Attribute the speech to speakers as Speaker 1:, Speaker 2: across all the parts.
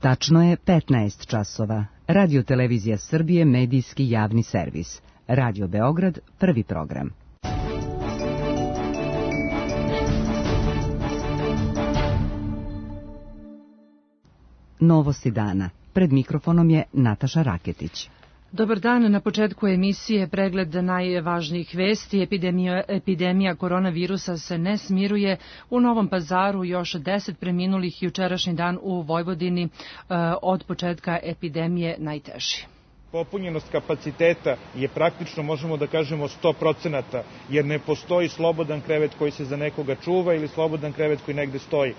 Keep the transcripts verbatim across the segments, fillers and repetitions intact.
Speaker 1: Tačno je petnaest časova. Radio Televizija Srbije, medijski javni servis. Radio Beograd, prvi program. Novosti dana. Pred mikrofonom je Nataša Raketić.
Speaker 2: Dobar dan, na početku emisije pregled najvažnijih vesti. Epidemija, epidemija koronavirusa se ne smiruje. U Novom Pazaru još deset preminulih, jučerašnji dan u Vojvodini od početka epidemije najteži.
Speaker 3: Popunjenost kapaciteta je praktično, možemo da kažemo, sto procenata, jer ne postoji slobodan krevet koji se za nekoga čuva ili slobodan krevet koji negde stoji.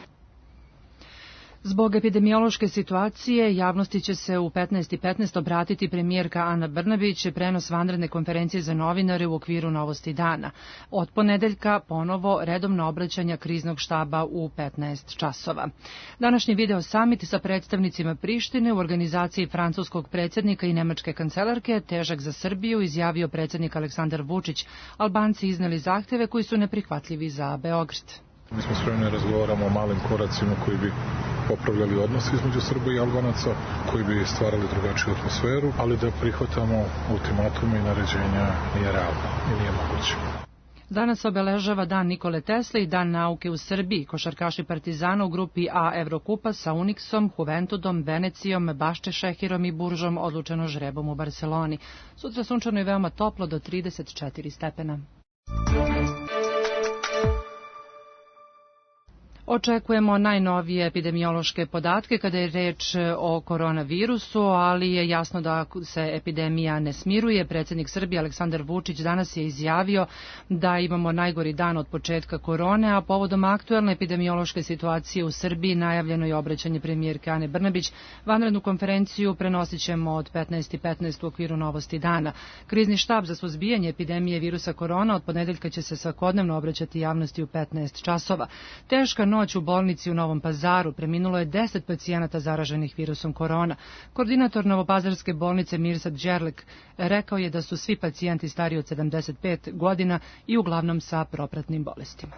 Speaker 2: Zbog epidemiološke situacije, javnosti će se u petnaest i petnaest obratiti premijerka Ana Brnabić, prenos vanredne konferencije za novinare u okviru Novosti dana. Od ponedeljka ponovo redovno obraćanja kriznog štaba u petnaest časova. Današnji video samit sa predstavnicima Prištine u organizaciji francuskog predsjednika i nemačke kancelarke, težak za Srbiju, izjavio predsjednik Aleksandar Vučić. Albanci izneli zahteve koji su neprihvatljivi za Beograd.
Speaker 4: Mi smo spremni razgovaramo o malim koracima koji bi popravljali odnos između Srba i Albanaca, koji bi stvarali drugačiju atmosferu, ali da prihvatamo ultimatume i naređenja nije realno i nije moguće.
Speaker 2: Danas obeležava Dan Nikole Tesle i Dan nauke u Srbiji. Košarkaši Partizana u grupi A Evrokupa sa Uniksom, Juventudom, Venecijom, Bašče Šehirom i Buržom odlučeno žrebom u Barseloni. Sutra sunčano i veoma toplo do trideset četiri stepena. Očekujemo najnovije epidemiološke podatke kada je reč o koronavirusu, ali je jasno da se epidemija ne smiruje. Predsjednik Srbije Aleksandar Vučić danas je izjavio da imamo najgori dan od početka korone, a povodom aktuelne epidemiološke situacije u Srbiji najavljeno je obraćanje premijerke Ane Brnabić. Vanrednu konferenciju prenosit ćemo od petnaest i petnaest u okviru Novosti dana. Krizni štab za suzbijanje epidemije virusa korona od ponedeljka će se svakodnevno obraćati javnosti u petnaest časova. Teška noć u bolnici u Novom Pazaru, preminulo je deset pacijenata zaraženih virusom korona. Koordinator Novopazarske bolnice Mirsad Đerlek rekao je da su svi pacijenti stariji od sedamdeset pet godina i uglavnom sa propratnim bolestima.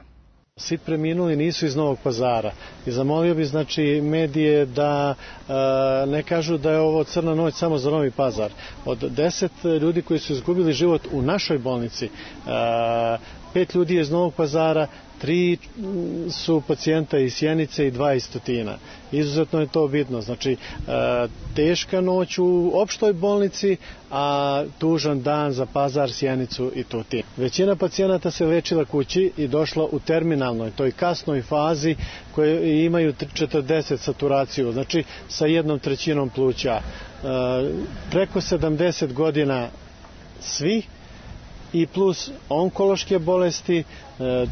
Speaker 5: Svi preminuli nisu iz Novog Pazara i zamolio bi znači medije da e, ne kažu da je ovo crna noć samo za Novi Pazar. Od deset ljudi koji su izgubili život u našoj bolnici, e, pet ljudi je iz Novog Pazara, tri su pacijenta iz Sjenice i dva iz Tutina. Izuzetno je to bitno. Znači, teška noć u opštoj bolnici, a tužan dan za Pazar, Sjenicu i Tutin. Većina pacijenata se lečila kući i došla u terminalnoj, toj kasnoj fazi koje imaju četrdeset saturaciju, znači sa jednom trećinom pluća. Preko sedamdeset godina svi, i plus onkološke bolesti,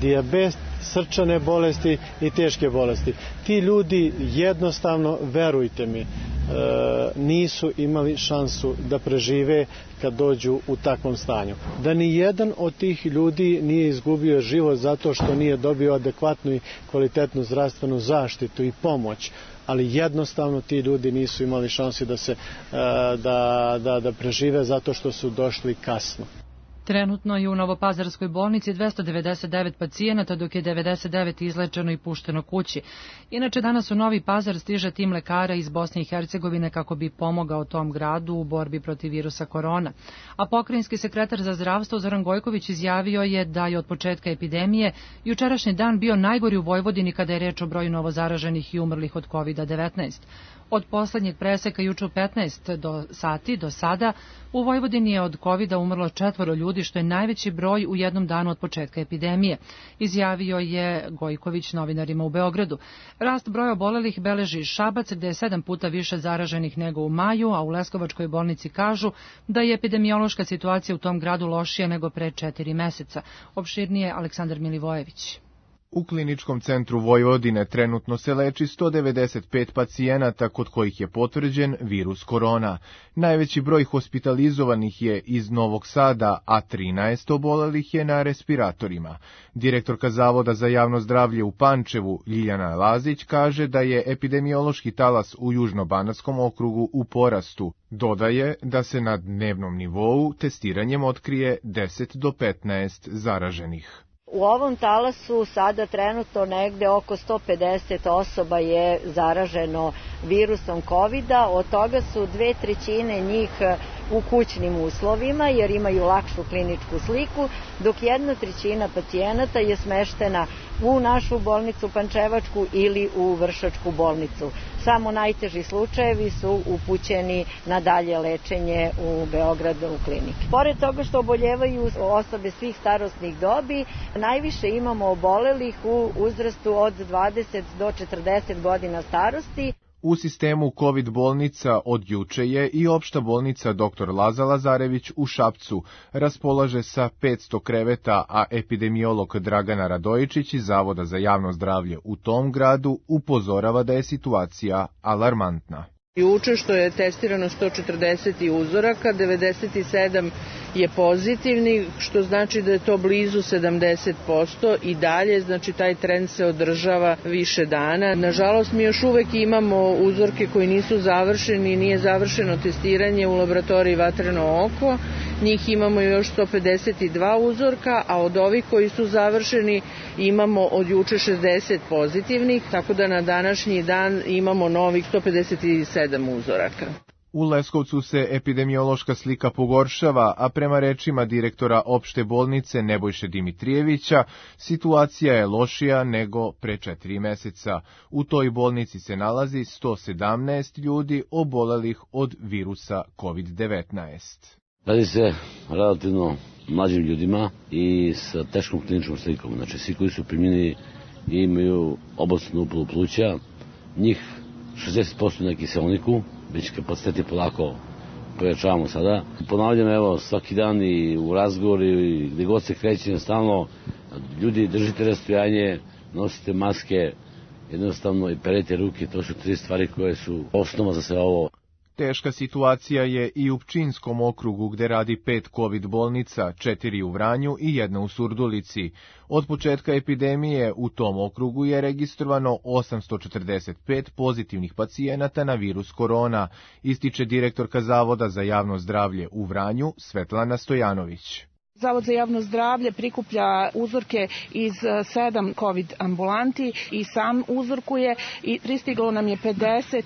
Speaker 5: dijabet, srčane bolesti i teške bolesti. Ti ljudi jednostavno, verujte mi, nisu imali šansu da prežive kad dođu u takvom stanju. Da ni jedan od tih ljudi nije izgubio život zato što nije dobio adekvatnu i kvalitetnu zdravstvenu zaštitu i pomoć, ali jednostavno ti ljudi nisu imali šanse da se da, da, da prežive zato što su došli kasno.
Speaker 2: Trenutno je u Novopazarskoj bolnici dvesta devedeset devet pacijenata, dok je devedeset devet izlečeno i pušteno kući. Inače, danas u Novi Pazar stiže tim lekara iz Bosne i Hercegovine kako bi pomogao tom gradu u borbi protiv virusa korona. A pokrajinski sekretar za zdravstvo Zoran Gojković izjavio je da je od početka epidemije jučerašnji dan bio najgori u Vojvodini kada je reč o broju novozaraženih i umrlih od kovid devetnaest. Od poslednjeg preseka juče u petnaest do sati do sada u Vojvodini je od kovida umrlo četvoro ljudi, što je najveći broj u jednom danu od početka epidemije, izjavio je Gojković novinarima u Beogradu. Rast broja obolelih beleži Šabac, gde je sedam puta više zaraženih nego u maju, a u Leskovačkoj bolnici kažu da je epidemiološka situacija u tom gradu lošija nego pre četiri meseca. Opširnije Aleksandar Milivojević.
Speaker 6: U Kliničkom centru Vojvodine trenutno se leči sto devedeset pet pacijenata kod kojih je potvrđen virus korona. Najveći broj hospitalizovanih je iz Novog Sada, a trinaest obolelih je na respiratorima. Direktorka Zavoda za javno zdravlje u Pančevu, Ljiljana Lazić, kaže da je epidemiološki talas u Južno-Banatskom okrugu u porastu. Dodaje da se na dnevnom nivou testiranjem otkrije deset do petnaest zaraženih.
Speaker 7: U ovom talasu sada trenutno negde oko sto pedeset osoba je zaraženo virusom kovida, od toga su dve trećine njih u kućnim uslovima jer imaju lakšu kliničku sliku, dok jedna trećina pacijenata je smeštena u našu bolnicu Pančevačku ili u Vršačku bolnicu. Samo najteži slučajevi su upućeni na dalje lečenje u Beogradu u kliniki. Pored toga što oboljevaju osobe svih starosnih dobi, najviše imamo obolelih u uzrastu od dvadeset do četrdeset godina starosti.
Speaker 6: U sistemu COVID bolnica od juče je i opšta bolnica doktor Laza Lazarević u Šapcu, raspolaže sa petsto kreveta, a epidemiolog Dragana Radojičić iz Zavoda za javno zdravlje u tom gradu upozorava da je situacija alarmantna.
Speaker 8: Juče što je testirano sto četrdeset uzoraka, devedeset sedam je pozitivni, što znači da je to blizu sedamdeset posto i dalje, znači taj trend se održava više dana. Nažalost, mi još uvek imamo uzorke koji nisu završeni, nije završeno testiranje u laboratoriji Vatreno oko, njih imamo još sto pedeset dva uzorka, a od ovih koji su završeni imamo od juče šezdeset pozitivnih, tako da na današnji dan imamo novih sto pedeset sedam uzoraka.
Speaker 6: U Leskovcu se epidemiološka slika pogoršava, a prema rečima direktora opšte bolnice Nebojše Dimitrijevića, situacija je lošija nego pre četiri meseca. U toj bolnici se nalazi sto sedamnaest ljudi obolelih od virusa kovid devetnaest.
Speaker 9: Radi se relativno mlađim ljudima i sa teškom kliničkom slikom. Znači, svi koji su primljeni imaju obostranu upalu pluća, njih šezdeset posto na kiselniku, već kapaciteti polako pojačavamo sada. Ponavljam, evo, svaki dan i u razgovoru i gde god se kreće, stalno ljudi držite rastojanje, nosite maske, jednostavno i perete ruke, to su tri stvari koje su osnova za sve ovo.
Speaker 6: Teška situacija je i u Pčinjskom okrugu gde radi pet COVID bolnica, četiri u Vranju i jedna u Surdulici. Od početka epidemije u tom okrugu je registrovano osamsto četrdeset pet pozitivnih pacijenata na virus korona, ističe direktorka Zavoda za javno zdravlje u Vranju Svetlana Stojanović.
Speaker 10: Zavod za javno zdravlje prikuplja uzorke iz sedam COVID ambulanti i sam uzorkuje i pristiglo nam je pedeset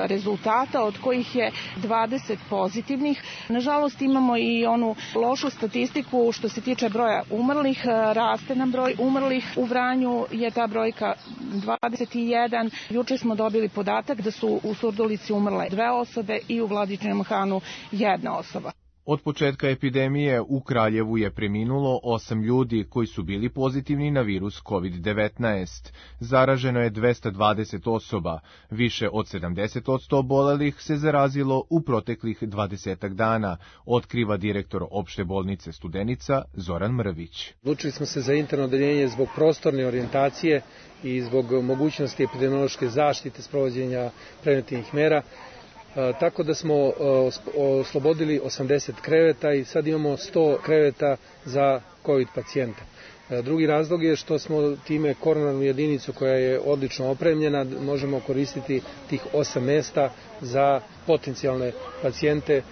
Speaker 10: rezultata, od kojih je dvadeset pozitivnih. Nažalost, imamo i onu lošu statistiku što se tiče broja umrlih. Raste nam broj umrlih. U Vranju je ta brojka dvadeset jedan. Juče smo dobili podatak da su u Surdulici umrle dve osobe i u Vladičinom Hanu jedna osoba.
Speaker 6: Od početka epidemije u Kraljevu je preminulo osam ljudi koji su bili pozitivni na virus kovid devetnaest. Zaraženo je dvesta dvadeset osoba. Više od sedamdeset posto obolelih se zarazilo u proteklih dvadesetak dana, otkriva direktor opšte bolnice Studenica Zoran Mrvić.
Speaker 11: Odlučili smo se za interno odeljenje zbog prostorne orijentacije i zbog mogućnosti epidemiološke zaštite sprovođenja preventivnih mera. Tako da smo oslobodili osamdeset kreveta i sad imamo sto kreveta za COVID pacijente. Drugi razlog je što smo time koronarnu jedinicu koja je odlično opremljena, možemo koristiti tih osam mesta za potencijalne pacijente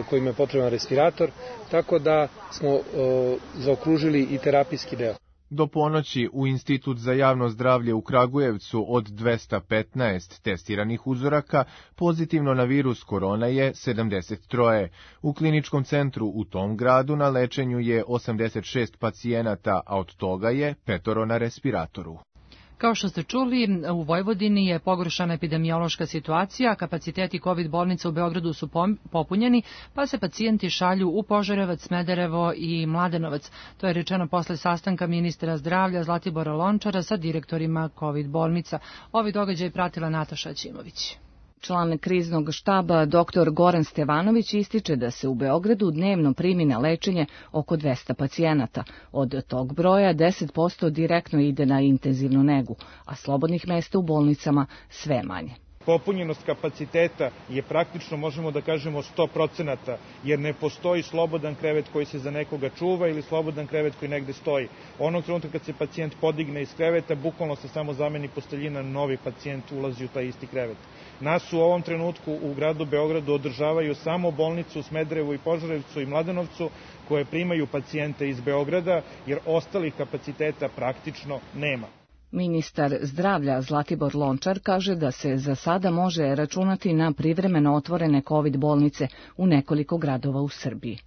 Speaker 11: kojima je potreban respirator, tako da smo zaokružili i terapijski deo.
Speaker 6: Do ponoći u Institut za javno zdravlje u Kragujevcu od dvesta petnaest testiranih uzoraka pozitivno na virus korona je sedamdeset tri. U kliničkom centru u tom gradu na lečenju je osamdeset šest pacijenata, a od toga je petoro na respiratoru.
Speaker 2: Kao što ste čuli, u Vojvodini je pogoršana epidemiološka situacija, kapaciteti COVID bolnica u Beogradu su popunjeni, pa se pacijenti šalju u Požarevac, Smederevo i Mladenovac. To je rečeno posle sastanka ministra zdravlja Zlatibora Lončara sa direktorima COVID bolnica. Ovi događaj pratila Nataša Ćimović.
Speaker 12: Član kriznog štaba doktor Goran Stevanović ističe da se u Beogradu dnevno primi na lečenje oko dvesta pacijenata. Od tog broja deset posto direktno ide na intenzivnu negu, a slobodnih mesta u bolnicama sve manje.
Speaker 3: Popunjenost kapaciteta je praktično, možemo da kažemo, sto procenata, jer ne postoji slobodan krevet koji se za nekoga čuva ili slobodan krevet koji negde stoji. Onog trenutka kad se pacijent podigne iz kreveta, bukvalno se samo zameni posteljina, novi pacijent ulazi u taj isti krevet. Nas u ovom trenutku u gradu Beogradu održavaju samo bolnicu u Smederevu i Požarevcu i Mladenovcu, koje primaju pacijente iz Beograda, jer ostalih kapaciteta praktično nema.
Speaker 12: Ministar zdravlja Zlatibor Lončar kaže da se za sada može računati na privremeno otvorene COVID bolnice u nekoliko gradova u Srbiji.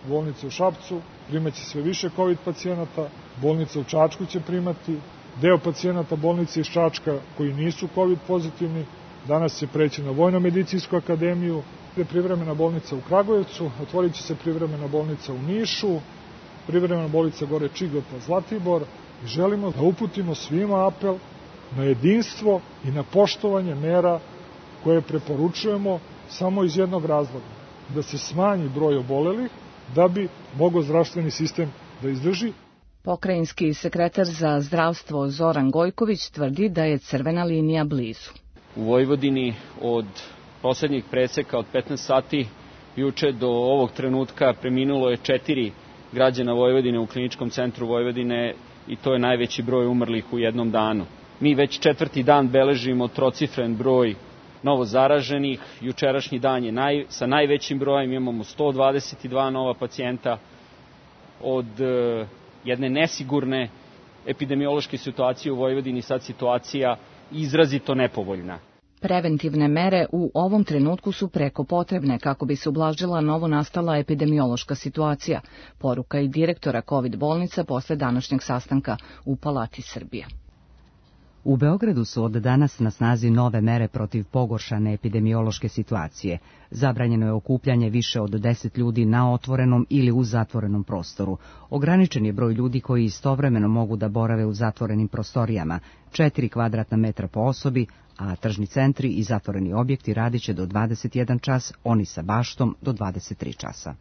Speaker 13: Bolnica u Šapcu primaće sve više COVID pacijenata, bolnica u Čačku će primati, deo pacijenata bolnice iz Čačka koji nisu COVID pozitivni, danas će preći na Vojno-medicinsku akademiju, privremena bolnica u Kragujevcu, otvorit će se privremena bolnica u Nišu, privremena bolnica gore Čigota, Zlatibor. I želimo da uputimo svima apel na jedinstvo i na poštovanje mera koje preporučujemo samo iz jednog razloga, da se smanji broj obolelih, da bi mogao zdravstveni sistem da izdrži.
Speaker 12: Pokrajinski sekretar za zdravstvo Zoran Gojković tvrdi da je crvena linija blizu.
Speaker 14: U Vojvodini od poslednjih preseka od petnaest sati juče do ovog trenutka preminulo je četiri građana Vojvodine u Kliničkom centru Vojvodine i to je najveći broj umrlih u jednom danu. Mi već četvrti dan beležimo trocifren broj novo zaraženih. Jučerašnji dan je naj, sa najvećim brojem, imamo sto dvadeset dva nova pacijenta. Od e, jedne nesigurne epidemiološke situacije u Vojvodini sad situacija izrazito nepovoljna.
Speaker 12: Preventivne mere u ovom trenutku su preko potrebne kako bi se ublažila novo nastala epidemiološka situacija, poruka i direktora COVID bolnica posle današnjeg sastanka u Palati Srbije.
Speaker 1: U Beogradu su od danas na snazi nove mere protiv pogoršane epidemiološke situacije. Zabranjeno je okupljanje više od deset ljudi na otvorenom ili u zatvorenom prostoru. Ograničen je broj ljudi koji istovremeno mogu da borave u zatvorenim prostorijama, četiri kvadratna metra po osobi, a tržni centri i zatvoreni objekti radit će do dvadeset jedan čas, oni sa baštom do dvadeset tri časa.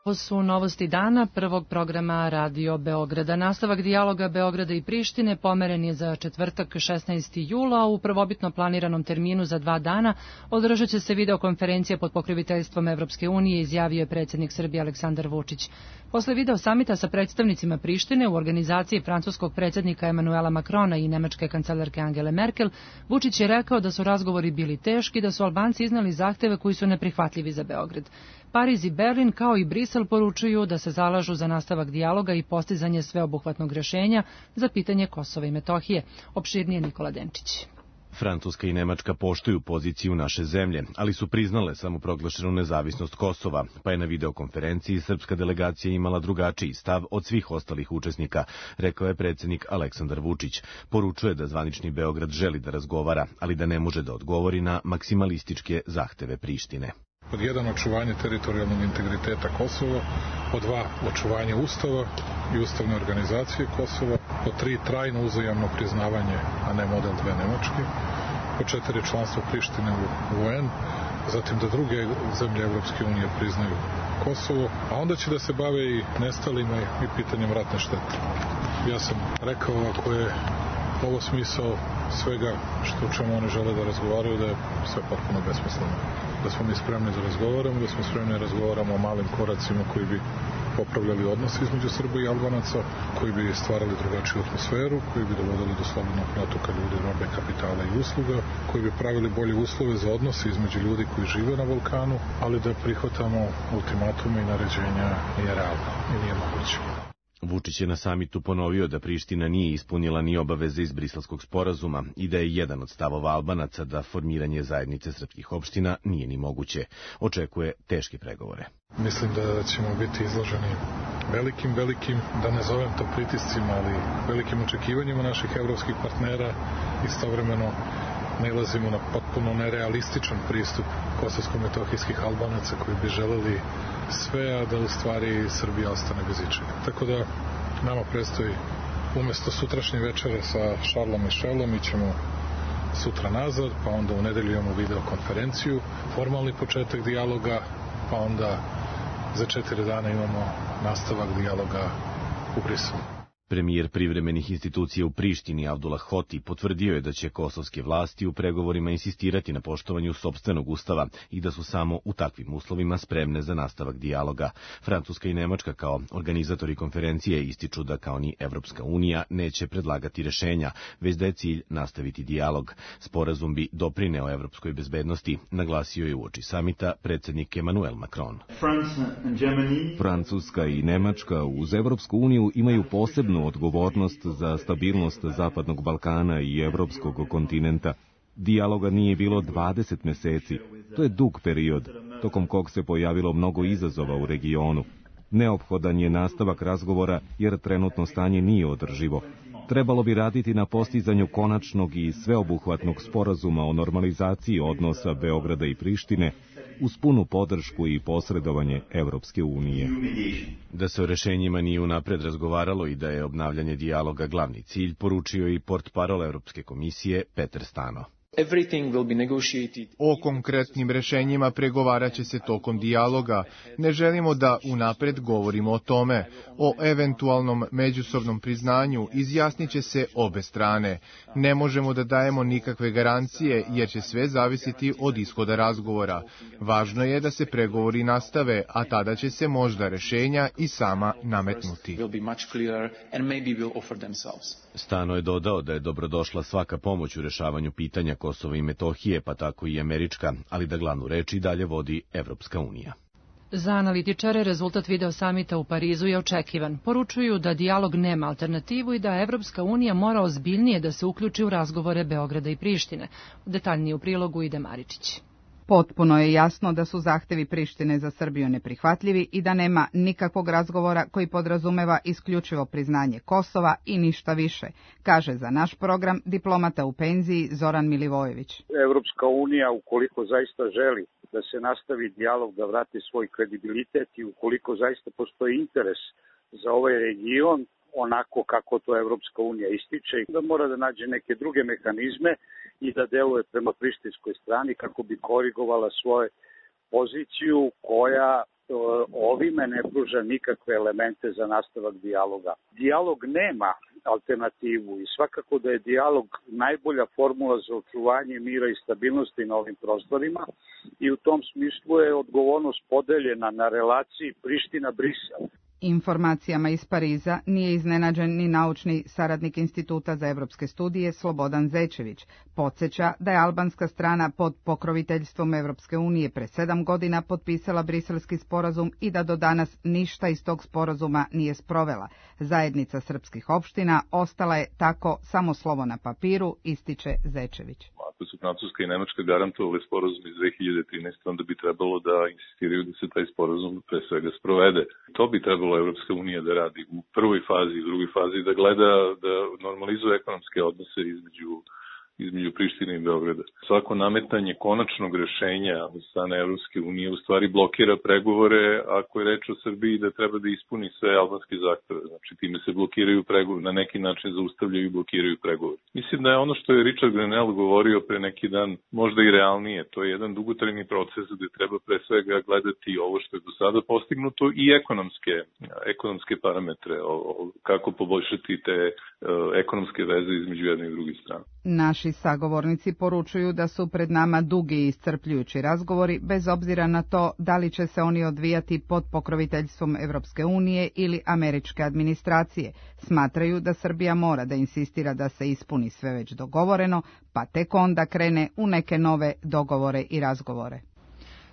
Speaker 2: Ovo su novosti dana prvog programa Radio Beograda. Nastavak dijaloga Beograda i Prištine pomeren je za četvrtak šesnaestog jula. U prvobitno planiranom terminu za dva dana održat će se videokonferencija pod pokroviteljstvom Evropske unije, izjavio je predsjednik Srbije Aleksandar Vučić. Posle video samita sa predstavnicima Prištine u organizaciji francuskog predsjednika Emanuela Macrona i nemačke kancelarke Angele Merkel, Vučić je rekao da su razgovori bili teški, da su Albanci iznali zahteve koji su neprihvatljivi za Beograd. Pariz i Berlin, kao i Brisel, poručuju da se zalažu za nastavak dijaloga i postizanje sveobuhvatnog rješenja za pitanje Kosova i Metohije. Opširnije Nikola Denčić.
Speaker 15: Francuska i Nemačka poštuju poziciju naše zemlje, ali su priznale samoproglašenu nezavisnost Kosova, pa je na videokonferenciji srpska delegacija imala drugačiji stav od svih ostalih učesnika, rekao je predsjednik Aleksandar Vučić. Poručuje da zvanični Beograd želi da razgovara, ali da ne može da odgovori na maksimalističke zahteve Prištine.
Speaker 4: Pod jedan, očuvanje teritorijalnog integriteta Kosova, pod dva, očuvanje Ustava i ustavne organizacije Kosova, pod tri, trajno uzajamno priznavanje, a ne model dve Nemačke, pod četiri, članstvo Prištine u U N, zatim da druge zemlje Evropske unije priznaju Kosovo, a onda će da se bave i nestalima i pitanjem ratne štete. Ja sam rekao, ako je ovo smisao svega što o čemu oni žele da razgovaraju, da je sve potpuno besmisleno. Da smo mi spremni da razgovaramo, da smo spremni da razgovaramo o malim koracima koji bi popravljali odnos između Srba i Albanaca, koji bi stvarali drugačiju atmosferu, koji bi dovodili do slobodnog protoka ljudi, robe, kapitala i usluga, koji bi pravili bolje uslove za odnose između ljudi koji žive na Balkanu, ali da prihvatamo ultimatume i naređenja nije realno i nije moguće.
Speaker 15: Vučić je na samitu ponovio da Priština nije ispunila ni obaveze iz Briselskog sporazuma i da je jedan od stavova Albanaca da formiranje zajednice srpskih opština nije ni moguće. Očekuje teške pregovore.
Speaker 4: Mislim da ćemo biti izloženi velikim, velikim, da ne zovem to pritiscima, ali velikim očekivanjima naših evropskih partnera. Istovremeno nailazimo na potpuno nerealističan pristup kosovsko-metohijskih Albanaca koji bi želeli sve, a da u stvari Srbija ostane bez ičega. Tako da nama predstoji umjesto sutrašnje večere sa Šarlom i Šelom, mi ćemo sutra nazad, pa onda u nedelju imamo videokonferenciju, formalni početak dijaloga, pa onda za četiri dana imamo nastavak dijaloga u Briselu.
Speaker 15: Premijer privremenih institucija u Prištini Abdullah Hoti potvrdio je da će kosovske vlasti u pregovorima insistirati na poštovanju sopstvenog ustava i da su samo u takvim uslovima spremne za nastavak dijaloga. Francuska i Nemačka kao organizatori konferencije ističu da kao ni Evropska unija neće predlagati rešenja, već da je cilj nastaviti dijalog. Sporazum bi doprineo evropskoj bezbednosti, naglasio je uoči samita predsjednik Emmanuel Macron.
Speaker 16: Francuska i Nemačka uz Evropsku uniju imaju posebnu odgovornost za stabilnost Zapadnog Balkana i evropskog kontinenta. Dijaloga nije bilo dvadeset meseci. To je dug period, tokom kog se pojavilo mnogo izazova u regionu. Neophodan je nastavak razgovora jer trenutno stanje nije održivo. Trebalo bi raditi na postizanju konačnog i sveobuhvatnog sporazuma o normalizaciji odnosa Beograda i Prištine uz punu podršku i posredovanje Evropske unije.
Speaker 15: Da se o rešenjima nije unapred razgovaralo i da je obnavljanje dijaloga glavni cilj, poručio i portparol Evropske komisije Peter Stano.
Speaker 6: O konkretnim rešenjima pregovarat će se tokom dijaloga. Ne želimo da unapred govorimo o tome. O eventualnom međusobnom priznanju izjasnit će se obe strane. Ne možemo da dajemo nikakve garancije jer će sve zavisiti od ishoda razgovora. Važno je da se pregovori nastave, a tada će se možda rešenja i sama nametnuti.
Speaker 15: Stano je dodao da je dobrodošla svaka pomoć u rešavanju pitanja Kosova i Metohije, pa tako i američka, ali da glavnu reč i dalje vodi Evropska unija.
Speaker 2: Za analitičare rezultat video samita u Parizu je očekivan. Poručuju da dijalog nema alternativu i da Evropska unija mora ozbiljnije da se uključi u razgovore Beograda i Prištine. Detaljnije u prilogu ide Maričić.
Speaker 17: Potpuno je jasno da su zahtevi Prištine za Srbiju neprihvatljivi i da nema nikakvog razgovora koji podrazumeva isključivo priznanje Kosova i ništa više, kaže za naš program diplomata u penziji Zoran Milivojević.
Speaker 18: Evropska unija, ukoliko zaista želi da se nastavi dijalog, da vrati svoj kredibilitet i ukoliko zaista postoji interes za ovaj region, onako kako to Evropska unija ističe, da mora da nađe neke druge mehanizme i da deluje prema prištinskoj strani kako bi korigovala svoju poziciju koja ovime ne pruža nikakve elemente za nastavak dijaloga. Dijalog nema alternativu i svakako da je dijalog najbolja formula za očuvanje mira i stabilnosti na ovim prostorima i u tom smislu je odgovornost podeljena na relaciji Priština-Brisel.
Speaker 17: Informacijama iz Pariza nije iznenađen ni naučni saradnik Instituta za evropske studije Slobodan Zečević. Podsjeća da je albanska strana pod pokroviteljstvom Evropske unije pre sedam godina potpisala briselski sporazum i da do danas ništa iz tog sporazuma nije sprovela. Zajednica srpskih opština ostala je tako samo slovo na papiru, ističe Zečević.
Speaker 19: Ako su Francuska i Nemačka garantovali sporazum iz dve hiljade trinaeste. onda bi trebalo da insistiraju da se taj sporazum pre svega sprovede. To bi trebalo Evropska unija da radi u prvoj fazi i drugoj fazi, da gleda da normalizuje ekonomske odnose između između Prištine i Beograda. Svako nametanje konačnog rešenja od strane Evropske unije u stvari blokira pregovore ako je reč o Srbiji da treba da ispuni sve albanske zahteve. Znači time se blokiraju pregovori, na neki način zaustavljaju i blokiraju pregovori. Mislim da je ono što je Richard Grenell govorio pre neki dan možda i realnije. To je jedan dugotrajni proces gde treba pre svega gledati ovo što je do sada postignuto i ekonomske, ekonomske parametre, o, o, kako poboljšati te e, ekonomske veze između jedne i druge strane.
Speaker 17: Naši sagovornici poručuju da su pred nama dugi i iscrpljujući razgovori, bez obzira na to da li će se oni odvijati pod pokroviteljstvom Evropske unije ili američke administracije. Smatraju da Srbija mora da insistira da se ispuni sve već dogovoreno, pa tek onda krene u neke nove dogovore i razgovore.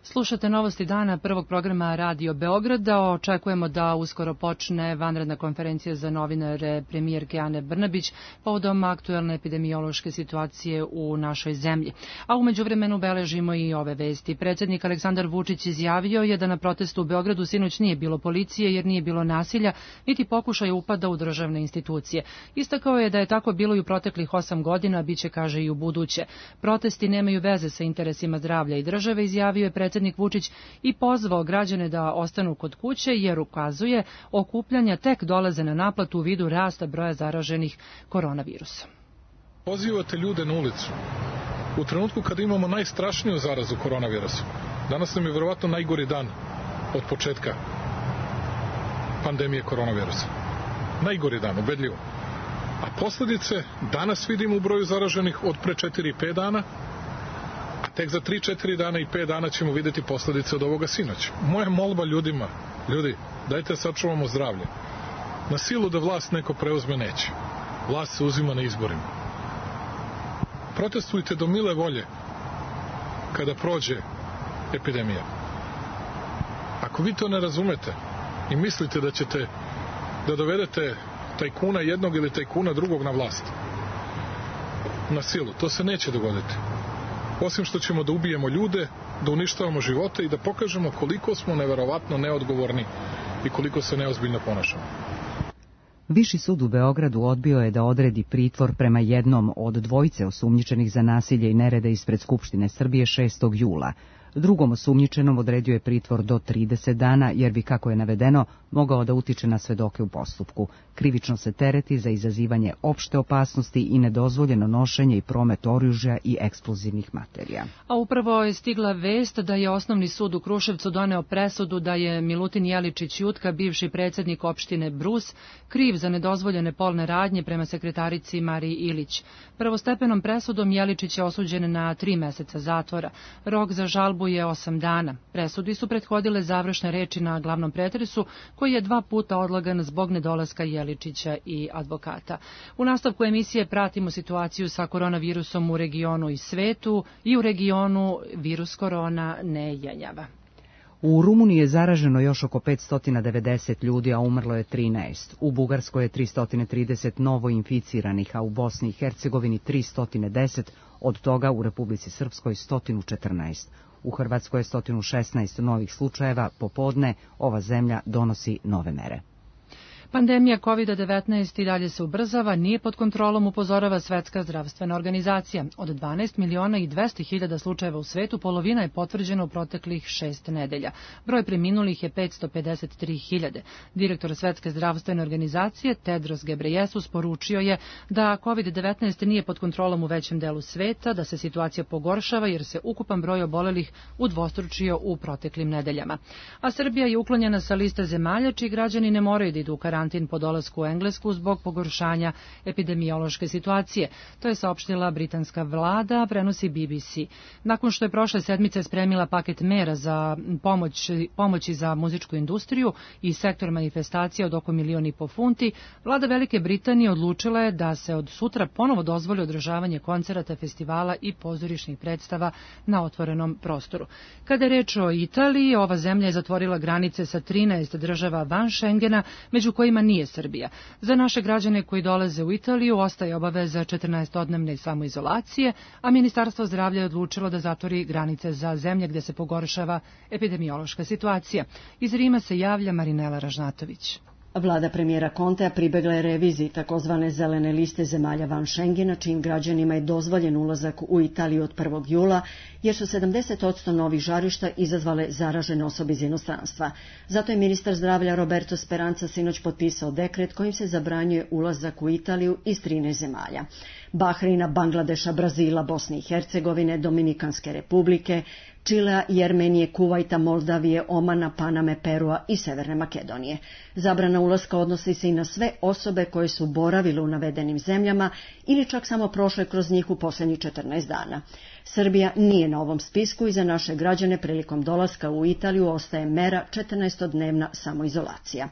Speaker 2: Slušate novosti dana prvog programa Radio Beograda. Očekujemo da uskoro počne vanredna konferencija za novinare premijerke Ane Brnabić povodom aktuelne epidemiološke situacije u našoj zemlji. A umeđu vremenu beležimo i ove vesti. Predsjednik Aleksandar Vučić izjavio je da na protestu u Beogradu sinoć nije bilo policije jer nije bilo nasilja, niti pokušaja upada u državne institucije. Istakao je da je tako bilo i u proteklih osam godina, a biće, kaže, i u buduće. Protesti nemaju veze sa interesima zdravlja i države, izjavio je predsjednik Predsjednik Vučić i pozvao građane da ostanu kod kuće jer ukazuje okupljanja tek dolaze na naplatu u vidu rasta broja zaraženih koronavirusom.
Speaker 4: Pozivate ljude na ulicu u trenutku kada imamo najstrašniju zarazu koronavirusom. Danas nam je verovatno najgori dan od početka pandemije koronavirusa. Najgori dan, ubedljivo. A posledice danas vidimo u broju zaraženih od pre četiri do pet dana, a tek za tri do četiri dana i pet dana ćemo videti posledice od ovoga sinoć. Moja molba ljudima, ljudi, dajte sačuvamo zdravlje. Na silu da vlast neko preuzme neće. Vlast se uzima na izborima. Protestujte do mile volje kada prođe epidemija. Ako vi to ne razumete i mislite da ćete da dovedete tajkuna jednog ili tajkuna drugog na vlast na silu, to se neće dogoditi. Osim što ćemo da ubijemo ljude, da uništavamo živote i da pokažemo koliko smo neverovatno neodgovorni i koliko se neozbiljno ponašamo.
Speaker 1: Viši sud u Beogradu odbio je da odredi pritvor prema jednom od dvojice osumnjičenih za nasilje i nerede ispred Skupštine Srbije šestog jula. Drugom osumnjičenom odredio je pritvor do trideset dana, jer bi, kako je navedeno, mogao da utiče na svedoke u postupku. Krivično se tereti za izazivanje opšte opasnosti i nedozvoljeno nošenje i promet oružja i eksplozivnih materija.
Speaker 2: A upravo je stigla vest da je Osnovni sud u Kruševcu doneo presudu da je Milutin Jeličić Jutka, bivši predsjednik opštine Brus, kriv za nedozvoljene polne radnje prema sekretarici Mariji Ilić. Prvostepenom presudom Jeličić je osuđen na tri meseca zatvora. Rok za žalbu je osam dana. Presudi su prethodile završne reči na glavnom pretresu, koji je dva puta odlagan zbog nedolaska Jeličića i advokata. U nastavku emisije pratimo situaciju sa koronavirusom u regionu i svetu, i u regionu virus korona ne jenjava.
Speaker 1: U Rumuniji je zaraženo još oko petsto devedeset ljudi, a umrlo je trinaest. U Bugarskoj je tristo trideset novo inficiranih, a u Bosni i Hercegovini tristo deset, od toga u Republici Srpskoj sto četrnaest. U Hrvatskoj je sto šesnaest novih slučajeva. Popodne ova zemlja donosi nove mere.
Speaker 2: Pandemija kovid devetnaest i dalje se ubrzava, nije pod kontrolom, upozorava Svetska zdravstvena organizacija. Od dvanaest miliona i dvesta hiljada slučajeva u svetu, polovina je potvrđena u proteklih šest nedelja. Broj preminulih je petsto pedeset tri hiljade. Direktor Svetske zdravstvene organizacije Tedros Gebreyesus poručio je da kovid devetnaest nije pod kontrolom u većem delu sveta, da se situacija pogoršava jer se ukupan broj obolelih udvostručio u proteklim nedeljama. A Srbija je uklonjena sa liste zemalja čiji građani ne moraju da idu u karantin po dolasku u Englesku zbog pogoršanja epidemiološke situacije. To je saopštila britanska vlada, prenosi B B C. Nakon što je prošle sedmice spremila paket mera za pomoć, pomoći za muzičku industriju i sektor manifestacija od oko milion i po funti, vlada Velike Britanije odlučila je da se od sutra ponovo dozvoli održavanje koncerata, festivala i pozorišnih predstava na otvorenom prostoru. Kada je reč o Italiji, ova zemlja je zatvorila granice sa trinaest država van Schengena, među kojima nije Srbija. Za naše građane koji dolaze u Italiju ostaje obaveza četrnaestodnevne samoizolacije, a Ministarstvo zdravlja je odlučilo da zatvori granice za zemlje gde se pogoršava epidemiološka situacija. Iz Rima se javlja Marinela Ražnatović.
Speaker 20: Vlada premijera Contea pribegla je reviziji takozvane zelene liste zemalja van Schengena, čijim građanima je dozvoljen ulazak u Italiju od prvog jula, jer su sedamdeset posto novih žarišta izazvale zaražene osobe iz inostranstva. Zato je ministar zdravlja Roberto Speranza sinoć potpisao dekret kojim se zabranjuje ulazak u Italiju iz trinaest zemalja. Bahreina, Bangladeša, Brazila, Bosne i Hercegovine, Dominikanske republike, Čilea, Jermenije, Kuvajta, Moldavije, Omana, Paname, Perua i Severne Makedonije. Zabrana ulaska odnosi se i na sve osobe koje su boravile u navedenim zemljama ili čak samo prošle kroz njih u posljednjih četrnaest dana. Srbija nije na ovom spisku i za naše građane prilikom dolaska u Italiju ostaje mera četrnaestodnevna samoizolacija.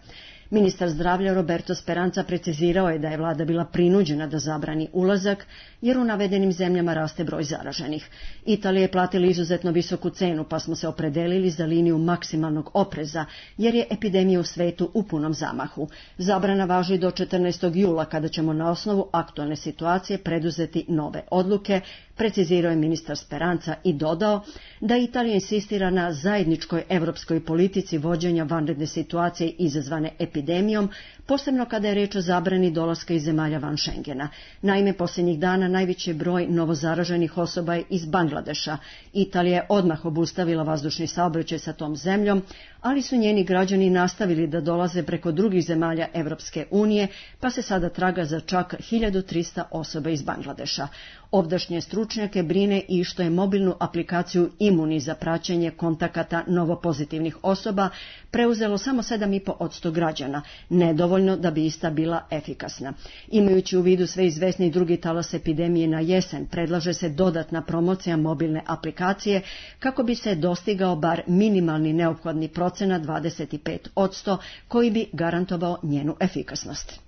Speaker 20: Ministar zdravlja Roberto Speranza precizirao je da je vlada bila prinuđena da zabrani ulazak, jer u navedenim zemljama raste broj zaraženih. Italija je platila izuzetno visoku cenu, pa smo se opredelili za liniju maksimalnog opreza, jer je epidemija u svetu u punom zamahu. Zabrana važi do četrnaestog jula, kada ćemo na osnovu aktualne situacije preduzeti nove odluke, precizirao je ministar Speranza i dodao da Italija insistira na zajedničkoj evropskoj politici vođenja vanredne situacije izazvane epidemijom, posebno kada je reč o zabrani dolaska iz zemalja van Schengena. Naime, posljednjih dana najveći broj novozaraženih osoba je iz Bangladeša. Italija je odmah obustavila vazdušni saobraćaj sa tom zemljom, ali su njeni građani nastavili da dolaze preko drugih zemalja Evropske unije, pa se sada traga za čak hiljadu trista osoba iz Bangladeša. Ovdašnje stručnjake brine i što je mobilnu aplikaciju Imuni za praćenje kontakata novopozitivnih osoba preuzelo samo sedam i po posto građana, nedovoljno dovoljno da bi ista bila efikasna. Imajući u vidu sve izvesni drugi talas epidemije na jesen, predlaže se dodatna promocija mobilne aplikacije kako bi se dostigao bar minimalni neophodni procenat dvadeset pet posto koji bi garantovao njenu efikasnost.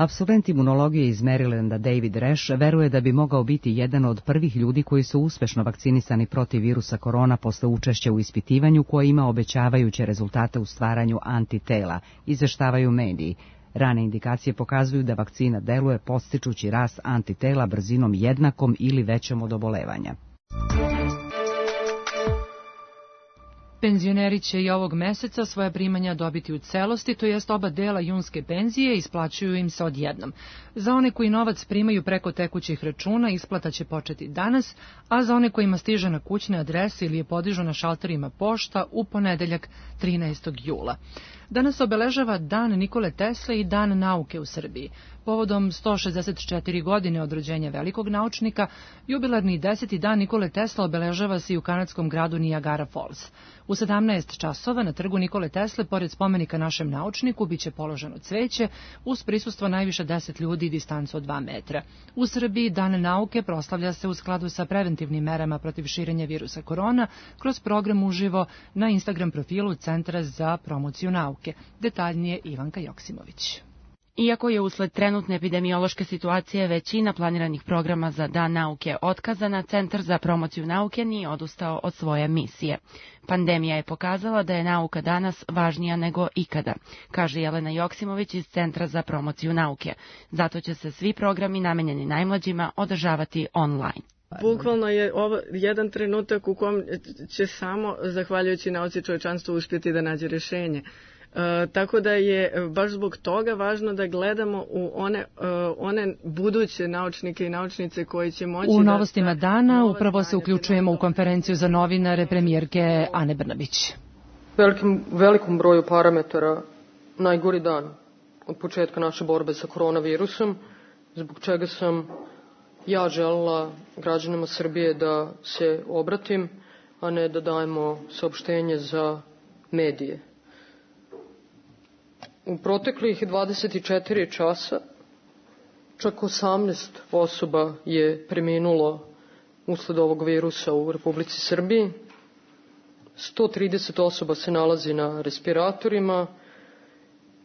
Speaker 1: Absolvent imunologije iz Marylanda David Resch veruje da bi mogao biti jedan od prvih ljudi koji su uspešno vakcinisani protiv virusa korona posle učešća u ispitivanju koje ima obećavajuće rezultate u stvaranju antitela, izveštavaju mediji. Rane indikacije pokazuju da vakcina deluje podstičući rast antitela brzinom jednakom ili većom od obolevanja.
Speaker 2: Penzioneri će i ovog meseca svoje primanja dobiti u celosti, to jest oba dela junske penzije isplaćuju im se odjednom. Za one koji novac primaju preko tekućih računa, isplata će početi danas, a za one kojima stiže na kućne adrese ili je podižu na šalterima pošta u ponedeljak trinaestog jula. Danas obeležava Dan Nikole Tesle i Dan nauke u Srbiji. Povodom sto šezdeset četiri godine od rođenja velikog naučnika, jubilarni deseti dan Nikole Tesla obeležava se i u kanadskom gradu Niagara Falls. U sedamnaest časova na trgu Nikole Tesle, pored spomenika našem naučniku, biće položeno cveće uz prisustvo najviše deset ljudi i distancu od dva metra. U Srbiji Dan nauke proslavlja se u skladu sa preventivnim merama protiv širenja virusa korona kroz program uživo na Instagram profilu Centra za promociju nauke. Detaljnije Ivanka Joksimović.
Speaker 21: Iako je usled trenutne epidemiološke situacije većina planiranih programa za Dan nauke otkazana, Centar za promociju nauke nije odustao od svoje misije. Pandemija je pokazala da je nauka danas važnija nego ikada, kaže Jelena Joksimović iz Centra za promociju nauke. Zato će se svi programi namenjeni najmlađima održavati online.
Speaker 22: Bukvalno je ovo jedan trenutak u kom će samo, zahvaljujući nauci, čovječanstvo uspjeti da nađe rješenje. E, tako da je baš zbog toga važno da gledamo u one, e, one buduće naučnike i naučnice koji će moći...
Speaker 2: U novostima da, dana upravo se uključujemo u konferenciju za novinare premijerke Ane Brnabić.
Speaker 23: Velikim, velikom broju parametara najgori dan od početka naše borbe sa koronavirusom, zbog čega sam ja želela građanima Srbije da se obratim, a ne da dajemo saopštenje za medije. U proteklih dvadeset četiri časa čak osamnaest osoba je preminulo usled ovog virusa u Republici Srbiji. sto trideset osoba se nalazi na respiratorima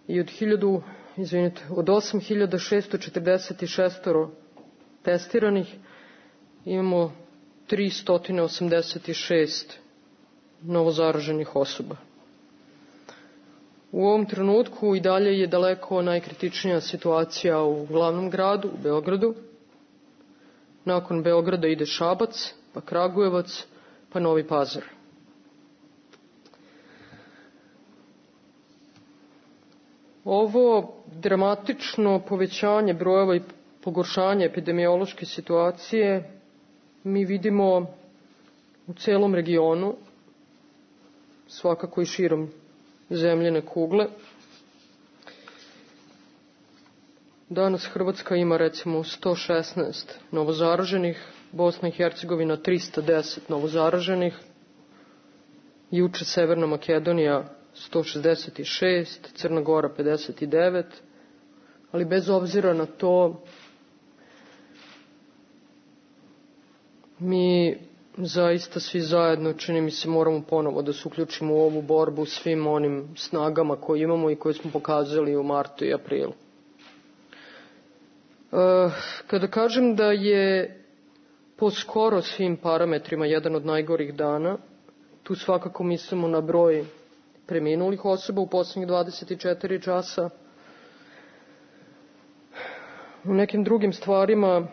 Speaker 23: i od hiljadu, izvinite, od osam hiljada šesto četrdeset šest testiranih imamo tristo osamdeset šest novozaraženih osoba. U ovom trenutku i dalje je daleko najkritičnija situacija u glavnom gradu, u Beogradu. Nakon Beograda ide Šabac, pa Kragujevac, pa Novi Pazar. Ovo dramatično povećanje brojeva i pogoršanje epidemiološke situacije mi vidimo u celom regionu, svakako i širom zemljene kugle. Danas Hrvatska ima recimo sto šesnaest novozaraženih, Bosna i Hercegovina trista deset novozaraženih, juče Severna Makedonija sto šezdeset šest, Crna Gora pedeset devet, ali bez obzira na to mi zaista svi zajedno, čini mi se, moramo ponovo da se uključimo u ovu borbu svim onim snagama koje imamo i koje smo pokazali u martu i aprilu. E, kada kažem da je po skoro svim parametrima jedan od najgorih dana, tu svakako mislimo na broj preminulih osoba u poslednjih dvadeset četiri časa. U nekim drugim stvarima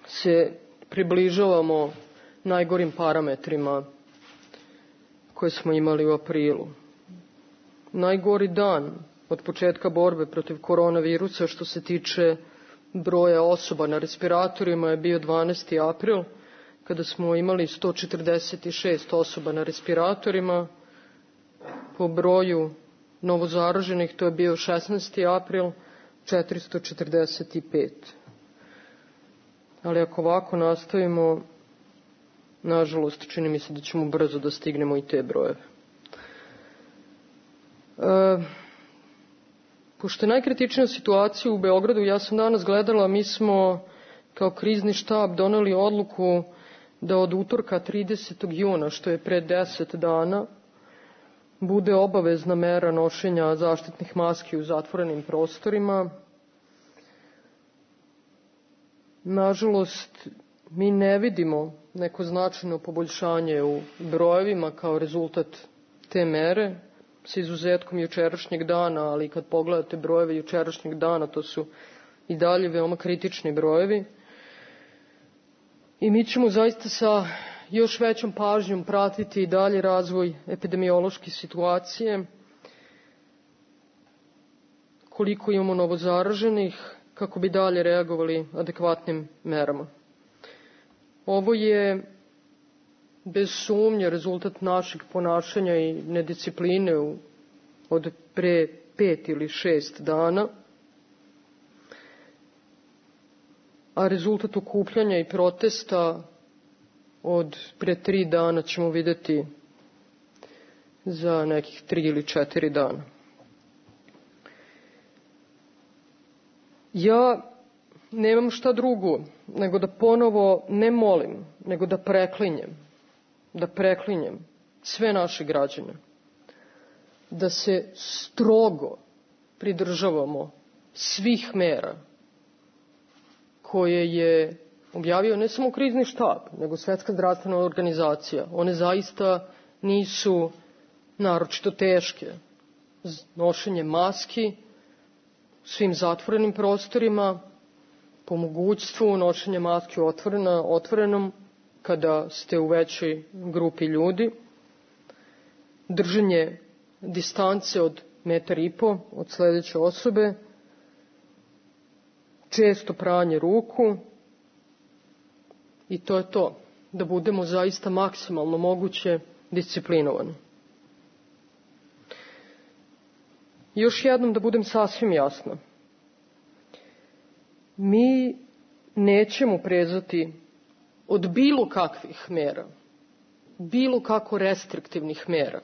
Speaker 23: se približavamo najgorim parametrima koje smo imali u aprilu. Najgori dan od početka borbe protiv koronavirusa što se tiče broja osoba na respiratorima je bio dvanaesti april, kada smo imali sto četrdeset šest osoba na respiratorima. Po broju novozaraženih to je bio šesnaesti april, četiristo četrdeset pet. Ali ako ovako nastavimo, nažalost, čini mi se da ćemo brzo da stignemo i te brojeve. E, Pošto je najkritičnija situacija u Beogradu, ja sam danas gledala, mi smo kao krizni štab doneli odluku da od utorka tridesetog juna, što je pre deset dana, bude obavezna mera nošenja zaštitnih maski u zatvorenim prostorima. Nažalost, mi ne vidimo neko značajno poboljšanje u brojevima kao rezultat te mere, sa izuzetkom jučerašnjeg dana, ali kad pogledate brojeve jučerašnjeg dana, to su i dalje veoma kritični brojevi. I mi ćemo zaista sa još većom pažnjom pratiti i dalje razvoj epidemiološke situacije, koliko imamo novozaraženih, kako bi dalje reagovali adekvatnim merama. Ovo je bez sumnje rezultat našeg ponašanja i nediscipline u, od pre pet ili šest dana, a rezultat okupljanja i protesta od pre tri dana ćemo videti za nekih tri ili četiri dana. Ja nemam šta drugo nego da ponovo ne molim, nego da preklinjem, da preklinjem sve naše građane, da se strogo pridržavamo svih mera koje je objavio ne samo krizni štab, nego Svetska zdravstvena organizacija. One zaista nisu naročito teške. Nošenje maski u svim zatvorenim prostorima, po mogućstvu nošenje maski otvorena, otvorenom kada ste u većoj grupi ljudi, držanje distance od metar i po od sledeće osobe, često pranje ruku, i to je to, da budemo zaista maksimalno moguće disciplinovani. Još jednom da budem sasvim jasna. Mi nećemo prezati od bilo kakvih mera, bilo kako restriktivnih mera,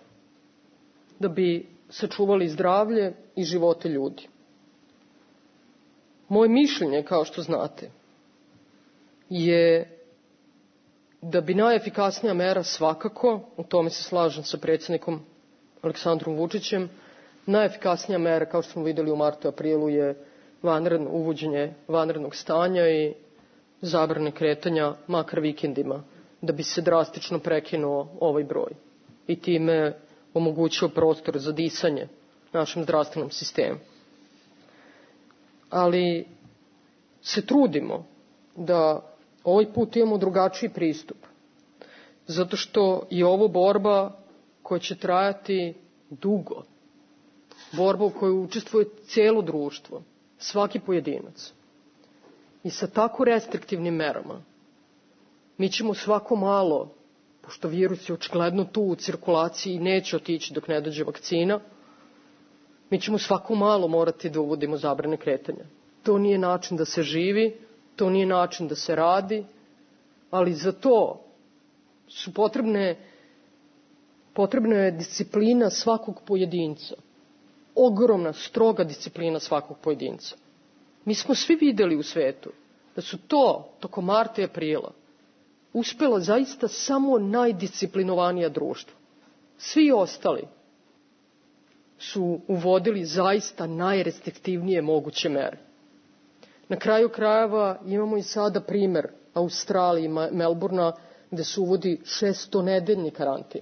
Speaker 23: da bi sačuvali zdravlje i živote ljudi. Moje mišljenje, kao što znate, je da bi najefikasnija mera svakako, u tome se slažem sa predsjednikom Aleksandrom Vučićem, najefikasnija mera, kao što smo videli u martu i aprilu, je vanredno, uvođenje vanrednog stanja i zabrane kretanja, makar vikendima, da bi se drastično prekinuo ovaj broj i time omogućio prostor za disanje našem zdravstvenom sistemu. Ali se trudimo da ovaj put imamo drugačiji pristup, zato što je ovo borba koja će trajati dugo, borba u kojoj učestvuje cijelo društvo, svaki pojedinac. I sa tako restriktivnim merama mi ćemo svako malo, pošto virus je očigledno tu u cirkulaciji i neće otići dok ne dođe vakcina, mi ćemo svako malo morati da uvodimo zabrane kretanja. To nije način da se živi, to nije način da se radi, ali za to su potrebne, potrebna je disciplina svakog pojedinca. Ogromna, stroga disciplina svakog pojedinca. Mi smo svi videli u svetu da su to, tokom marta i aprila, uspela zaista samo najdisciplinovanija društva. Svi ostali su uvodili zaista najrestriktivnije moguće mere. Na kraju krajeva imamo i sada primer Australije i Melburna, gde se uvodi šestonedeljni karantin.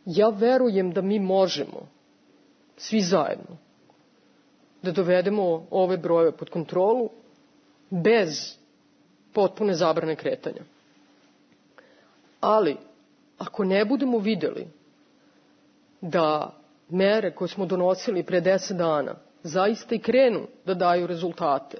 Speaker 23: Ja verujem da mi možemo, svi zajedno, da dovedemo ove brojeve pod kontrolu bez potpune zabrane kretanja. Ali, ako ne budemo videli da mere koje smo donosili pre deset dana zaista i krenu da daju rezultate,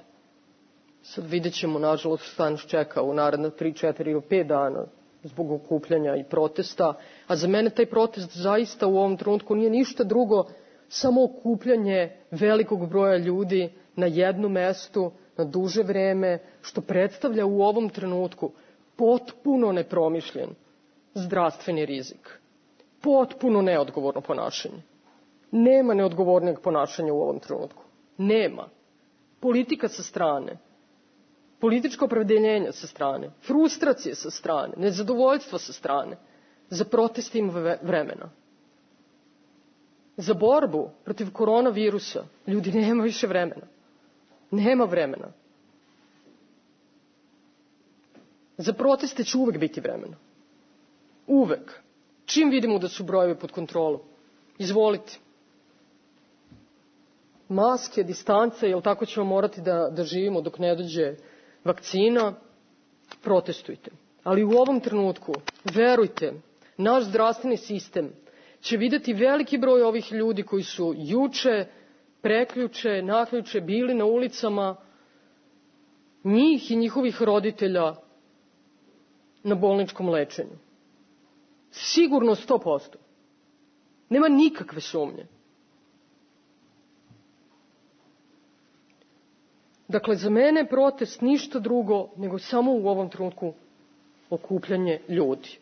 Speaker 23: sad vidjet ćemo, nažalost, šta nas čeka u naredna tri, četiri ili pet dana zbog okupljanja i protesta, a za mene taj protest zaista u ovom trenutku nije ništa drugo, samo okupljanje velikog broja ljudi na jednom mestu, na duže vreme, što predstavlja u ovom trenutku potpuno nepromišljen zdravstveni rizik, potpuno neodgovorno ponašanje. Nema neodgovornijeg ponašanja u ovom trenutku. Nema. Politika sa strane, političko opredeljenja sa strane, frustracije sa strane, nezadovoljstva sa strane. Za proteste ima vremena. Za borbu protiv koronavirusa ljudi nema više vremena. Nema vremena. Za proteste će uvek biti vremena. Uvek. Čim vidimo da su brojevi pod kontrolom, izvolite. Maske, distance, jel tako ćemo morati da, da živimo dok ne dođe vakcina, protestujte. Ali u ovom trenutku, verujte, naš zdravstveni sistem će videti veliki broj ovih ljudi koji su juče, preključe, naključe bili na ulicama, njih i njihovih roditelja na bolničkom lečenju. Sigurno sto posto. Nema nikakve sumnje. Dakle, za mene je protest ništa drugo nego samo u ovom trenutku okupljanje ljudi.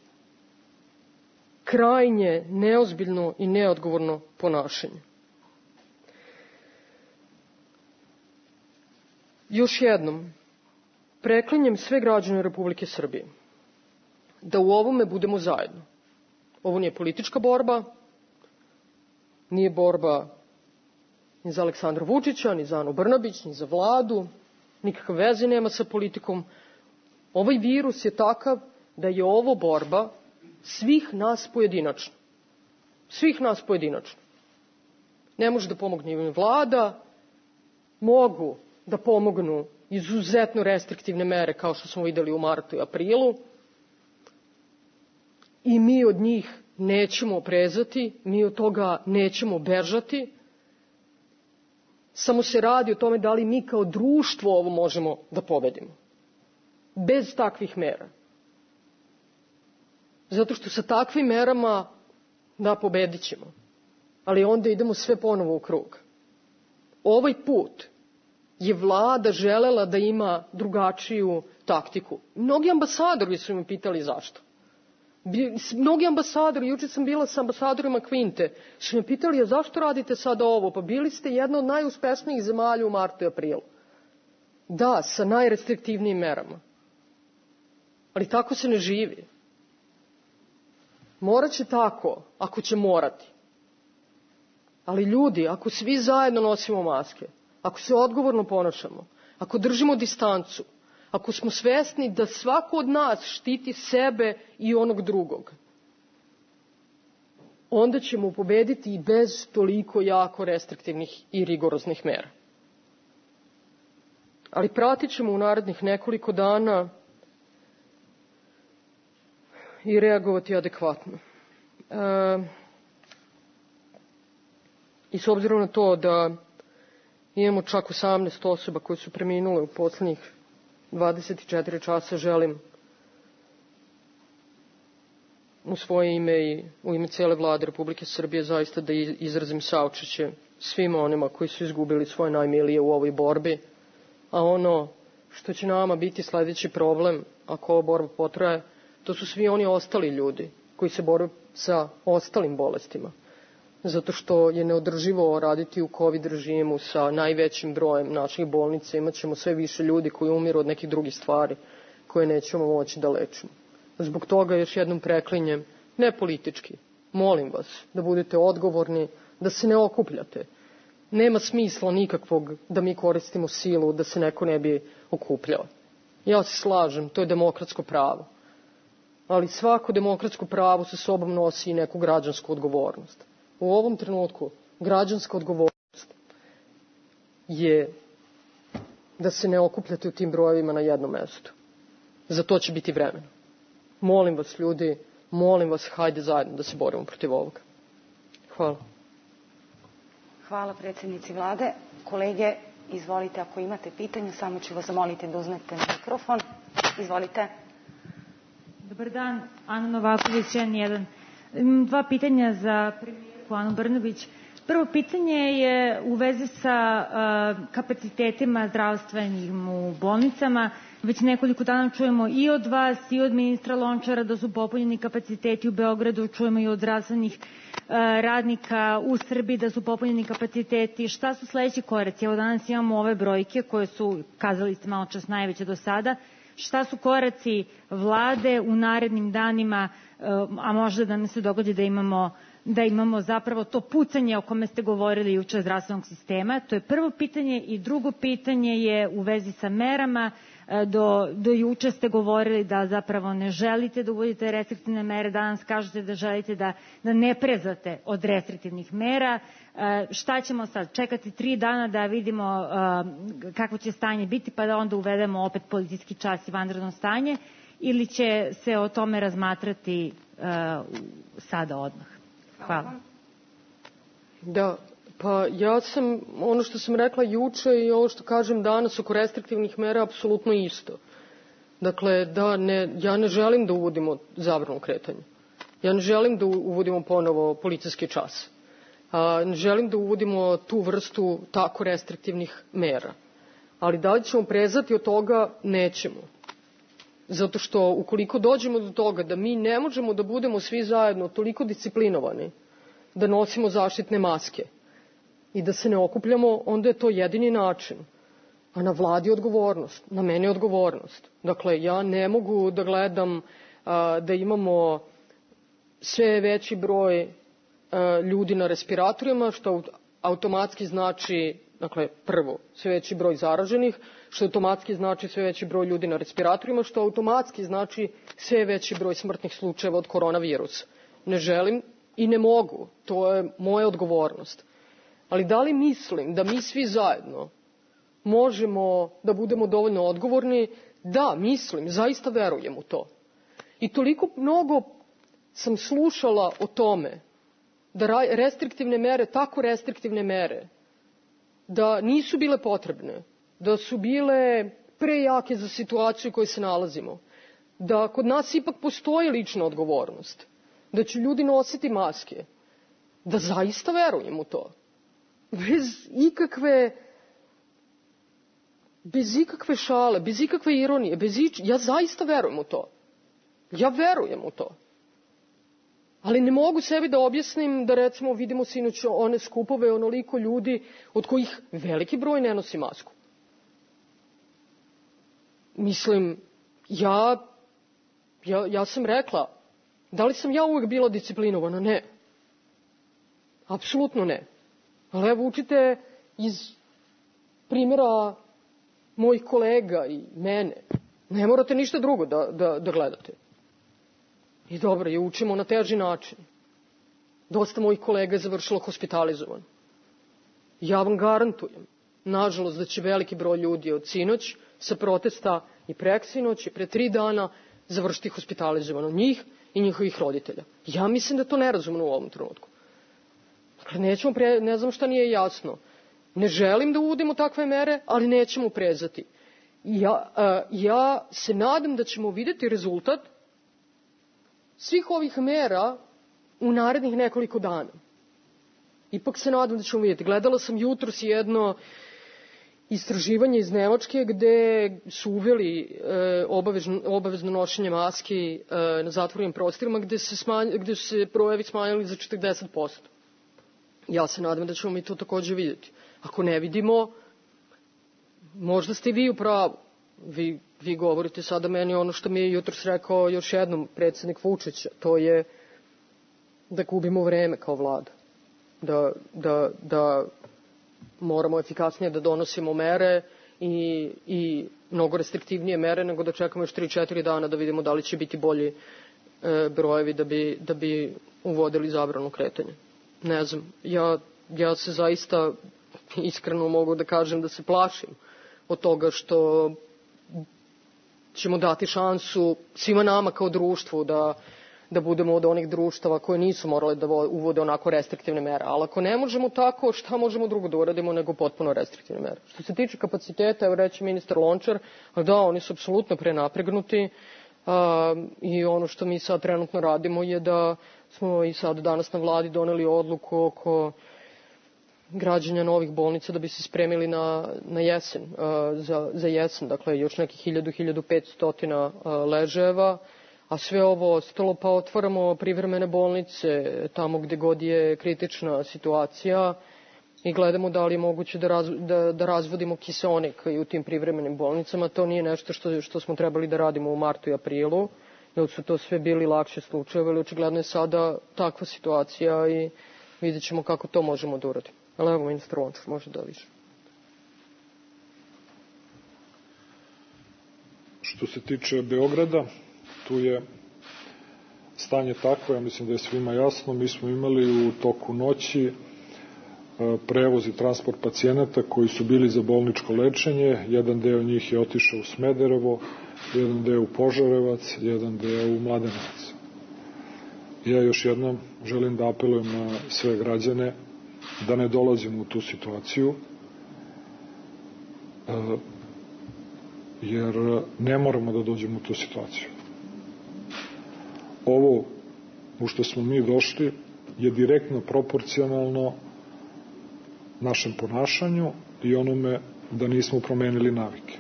Speaker 23: Krajnje neozbiljno i neodgovorno ponašanje. Još jednom, preklinjem sve građane Republike Srbije da u ovome budemo zajedno. Ovo nije politička borba, nije borba ni za Aleksandra Vučića, ni za Anu Brnabić, ni za vladu, nikakve veze nema sa politikom. Ovaj virus je takav da je ovo borba svih nas pojedinačno. Svih nas pojedinačno. Ne može da pomogne ni vlada, mogu da pomognu izuzetno restriktivne mere kao što smo videli u martu i aprilu i mi od njih nećemo prezati, mi od toga nećemo bežati. Samo se radi o tome da li mi kao društvo ovo možemo da pobedimo. Bez takvih mera. Zato što sa takvim merama da pobedit ćemo. Ali onda idemo sve ponovo u krug. Ovaj put je vlada želela da ima drugačiju taktiku. Mnogi ambasadori su me pitali zašto. Mnogi ambasadori, juče sam bila sa ambasadorima Kvinte, su me pitali, a zašto radite sada ovo? Pa bili ste jedna od najuspešnijih zemalja u martu i aprilu. Da, sa najrestriktivnijim merama. Ali tako se ne živi. Morat će tako, ako će morati. Ali ljudi, ako svi zajedno nosimo maske, ako se odgovorno ponašamo, ako držimo distancu, ako smo svesni da svako od nas štiti sebe i onog drugog, onda ćemo pobediti i bez toliko jako restriktivnih i rigoroznih mera. Ali pratit ćemo u narednih nekoliko dana i reagovati adekvatno. E, I s obzirom na to da imamo čak osamnaest osoba koje su preminule u poslednjih dvadeset četiri časa, želim u svoje ime i u ime cele vlade Republike Srbije zaista da izrazim saučešće svima onima koji su izgubili svoje najmilije u ovoj borbi, a ono što će nama biti sledeći problem ako ova borba potraje, to su svi oni ostali ljudi koji se bore sa ostalim bolestima. Zato što je neodrživo raditi u COVID režimu sa najvećim brojem naših bolnica. Imat ćemo sve više ljudi koji umiru od nekih drugih stvari koje nećemo moći da lečimo. Zbog toga još jednom preklinjem, ne politički, molim vas da budete odgovorni, da se ne okupljate. Nema smisla nikakvog da mi koristimo silu da se neko ne bi okupljao. Ja se slažem, to je demokratsko pravo. Ali svako demokratsko pravo sa sobom nosi i neku građansku odgovornost. U ovom trenutku građanska odgovornost je da se ne okupljate u tim brojevima na jednom mestu. Za to će biti vremena. Molim vas ljudi, molim vas, hajde zajedno da se borimo protiv ovoga. Hvala.
Speaker 5: Hvala predsjednici vlade. Kolege, izvolite, ako imate pitanje, samo ću vas zamoliti da uzmete mikrofon. Izvolite.
Speaker 7: Dobar dan, Ana Novaković, N jedan. Imam dva pitanja za premijerku Anu Brnabić. Prvo pitanje je u vezi sa uh, kapacitetima zdravstvenim u bolnicama. Već nekoliko dana čujemo i od vas i od ministra Lončara da su popunjeni kapaciteti u Beogradu, čujemo i od zdravstvenih radnika u Srbiji da su popunjeni kapaciteti. Šta su sledeći koraci? Evo danas imamo ove brojke koje su, kazali ste malo čas, najveće do sada. Šta su koraci vlade u narednim danima, a možda da nam se dogodi da imamo da imamo zapravo to pucanje o kome ste govorili juče zdravstvenog sistema? To je prvo pitanje. I drugo pitanje je u vezi sa merama. Do, do juče ste govorili da zapravo ne želite da uvodite restriktivne mere, danas kažete da želite da, da ne prezate od restriktivnih mera. Šta ćemo sad? Čekati tri dana da vidimo kako će stanje biti pa da onda uvedemo opet policijski čas i vanredno stanje, ili će se o tome razmatrati sada odmah? Hvala.
Speaker 23: Da, pa ja sam, ono što sam rekla juče i ovo što kažem danas oko restriktivnih mera, apsolutno isto. Dakle, da ne, ja ne želim da uvodimo zabranu kretanja. Ja ne želim da uvodimo ponovo policijski čas. A, ne želim da uvodimo tu vrstu tako restriktivnih mera. Ali da li ćemo prezati od toga? Nećemo. Zato što ukoliko dođemo do toga da mi ne možemo da budemo svi zajedno toliko disciplinovani da nosimo zaštitne maske i da se ne okupljamo, onda je to jedini način. A na vladi je odgovornost, na meni je odgovornost. Dakle, ja ne mogu da gledam a, da imamo sve veći broj a, ljudi na respiratorima, što automatski znači, dakle, prvo, sve veći broj zaraženih, što automatski znači sve veći broj ljudi na respiratorima, što automatski znači sve veći broj smrtnih slučajeva od koronavirusa. Ne želim i ne mogu, to je moja odgovornost. Ali da li mislim da mi svi zajedno možemo da budemo dovoljno odgovorni? Da, mislim, zaista verujem u to. I toliko mnogo sam slušala o tome da restriktivne mere, tako restriktivne mere, da nisu bile potrebne, da su bile prejake za situaciju u kojoj se nalazimo, da kod nas ipak postoji lična odgovornost, da će ljudi nositi maske, da zaista verujem u to. Bez ikakve, bez ikakve šale, bez ikakve ironije, bez ič... ja zaista verujem u to. Ja verujem u to. Ali ne mogu sebi da objasnim da, recimo, vidimo sinoć one skupove, onoliko ljudi od kojih veliki broj ne nosi masku. Mislim, ja, ja, ja sam rekla, da li sam ja uvek bila disciplinovana? Ne. Apsolutno ne. Ali evo, učite iz primjera mojih kolega i mene. Ne morate ništa drugo da, da, da gledate. I dobro, je učimo na teži način. Dosta mojih kolega je završilo hospitalizovan. Ja vam garantujem, nažalost, da će veliki broj ljudi od sinoć sa protesta i preksinoć i pre tri dana završiti hospitalizovano, njih i njihovih roditelja. Ja mislim da je to nerazumno u ovom trenutku. Dakle, nećemo pre, ne znam šta nije jasno. Ne želim da uvodimo takve mere, ali nećemo prezati. Ja, a, ja se nadam da ćemo vidjeti rezultat svih ovih mera u narednih nekoliko dana. Ipak se nadam da ćemo vidjeti. Gledala sam jutros jedno istraživanje iz Nemačke gde su uveli e, obavezno, obavezno nošenje maski e, na zatvorenim prostorima gde se, smanj, gde su se brojevi smanjili za četrdeset posto. Ja se nadam da ćemo mi to takođe vidjeti. Ako ne vidimo, možda ste i vi u pravu. Vi, vi govorite sada meni ono što mi je jutros rekao još jednom predsjednik Vučić, to je da gubimo vreme kao vlada. Da, da, da moramo efikasnije da donosimo mere i, i mnogo restriktivnije mere nego da čekamo još tri četiri dana da vidimo da li će biti bolji e, brojevi da bi, da bi uvodili zabranu kretanja. Ne znam, ja, ja se zaista iskreno mogu da kažem da se plašim od toga što ćemo dati šansu svima nama kao društvu da, da budemo od onih društava koje nisu morale da uvode onako restriktivne mere. Ali ako ne možemo tako, šta možemo drugo da uradimo nego potpuno restriktivne mere? Što se tiče kapaciteta, evo reći ministar Lončar, da, oni su apsolutno prenapregnuti a, i ono što mi sad trenutno radimo je da smo i sad danas na vladi doneli odluku oko građenja novih bolnica da bi se spremili na, na jesen, za, za jesen, dakle još nekih hiljadu do hiljadu petsto ležajeva, a sve ovo ostalo pa otvaramo privremene bolnice tamo gde god je kritična situacija i gledamo da li je moguće da, raz, da, da razvodimo kiseonik i u tim privremenim bolnicama. To nije nešto što, što smo trebali da radimo u martu i aprilu, jer su to sve bili lakše slučajevi, ali očigledno je sada takva situacija i vidjet ćemo kako to možemo da uradimo. Ali evo, ministar Lončar može da više.
Speaker 13: Što se tiče Beograda, tu je stanje takvo, ja mislim da je svima jasno. Mi smo imali u toku noći prevoz i transport pacijenata koji su bili za bolničko lečenje. Jedan deo njih je otišao u Smederevo, jedan deo u Požarevac, jedan deo u Mladenovac. Ja još jednom želim da apelujem na sve građane da ne dolazimo u tu situaciju, jer ne moramo da dođemo u tu situaciju. Ovo u što smo mi došli je direktno proporcionalno našem ponašanju i onome da nismo promenili navike.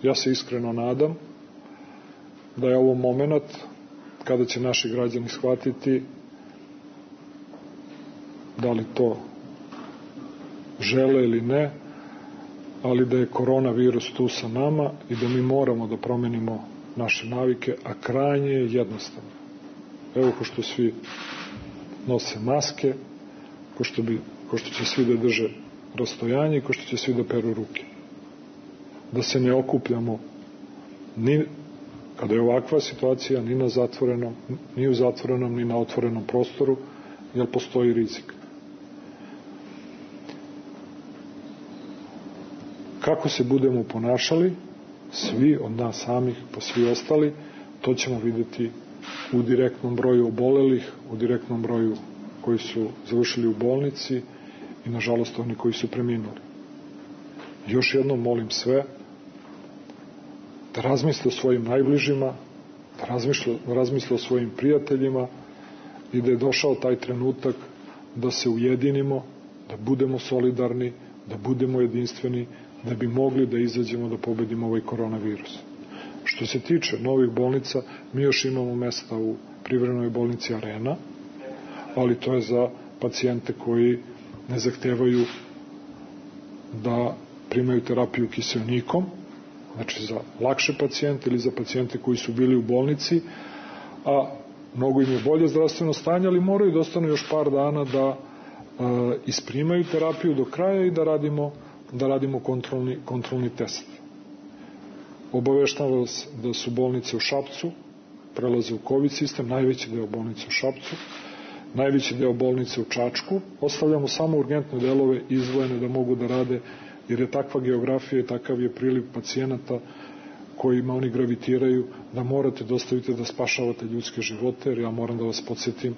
Speaker 13: Ja se iskreno nadam da je ovo moment kada će naši građani shvatiti da li to žele ili ne, ali da je koronavirus tu sa nama i da mi moramo da promenimo naše navike, a krajnje je jednostavno. Evo ko što svi nose maske, ko što, bi, ko što će svi da drže rastojanje i ko što će svi da peru ruke. Da se ne okupljamo ni kada je ovakva situacija ni na zatvorenom, ni u zatvorenom, ni na otvorenom prostoru, jer postoji rizik. Kako se budemo ponašali, svi od nas samih, pa svi ostali, to ćemo vidjeti u direktnom broju obolelih, u direktnom broju koji su završili u bolnici i, nažalost, oni koji su preminuli. Još jednom molim sve da razmisle o svojim najbližima, da razmisle, da razmisle o svojim prijateljima i da je došao taj trenutak da se ujedinimo, da budemo solidarni, da budemo jedinstveni, da bi mogli da izađemo da pobedimo ovaj koronavirus. Što se tiče novih bolnica, mi još imamo mesta u privremenoj bolnici Arena, ali to je za pacijente koji ne zahtevaju da primaju terapiju kiseonikom, znači za lakše pacijente ili za pacijente koji su bili u bolnici, a mnogo im je bolje zdravstveno stanje, ali moraju da ostanu još par dana da e, isprimaju terapiju do kraja i da radimo, da radimo kontrolni, kontrolni test. Obaveštavam vas da su bolnice u Šapcu, prelaze u COVID sistem, najveći deo bolnice u Šapcu, najveći deo bolnice u Čačku. Ostavljamo samo urgentne delove izdvojene da mogu da rade, jer je takva geografija i takav je priliv pacijenata kojima oni gravitiraju, da morate da ostavite da spašavate ljudske živote, jer ja moram da vas podsjetim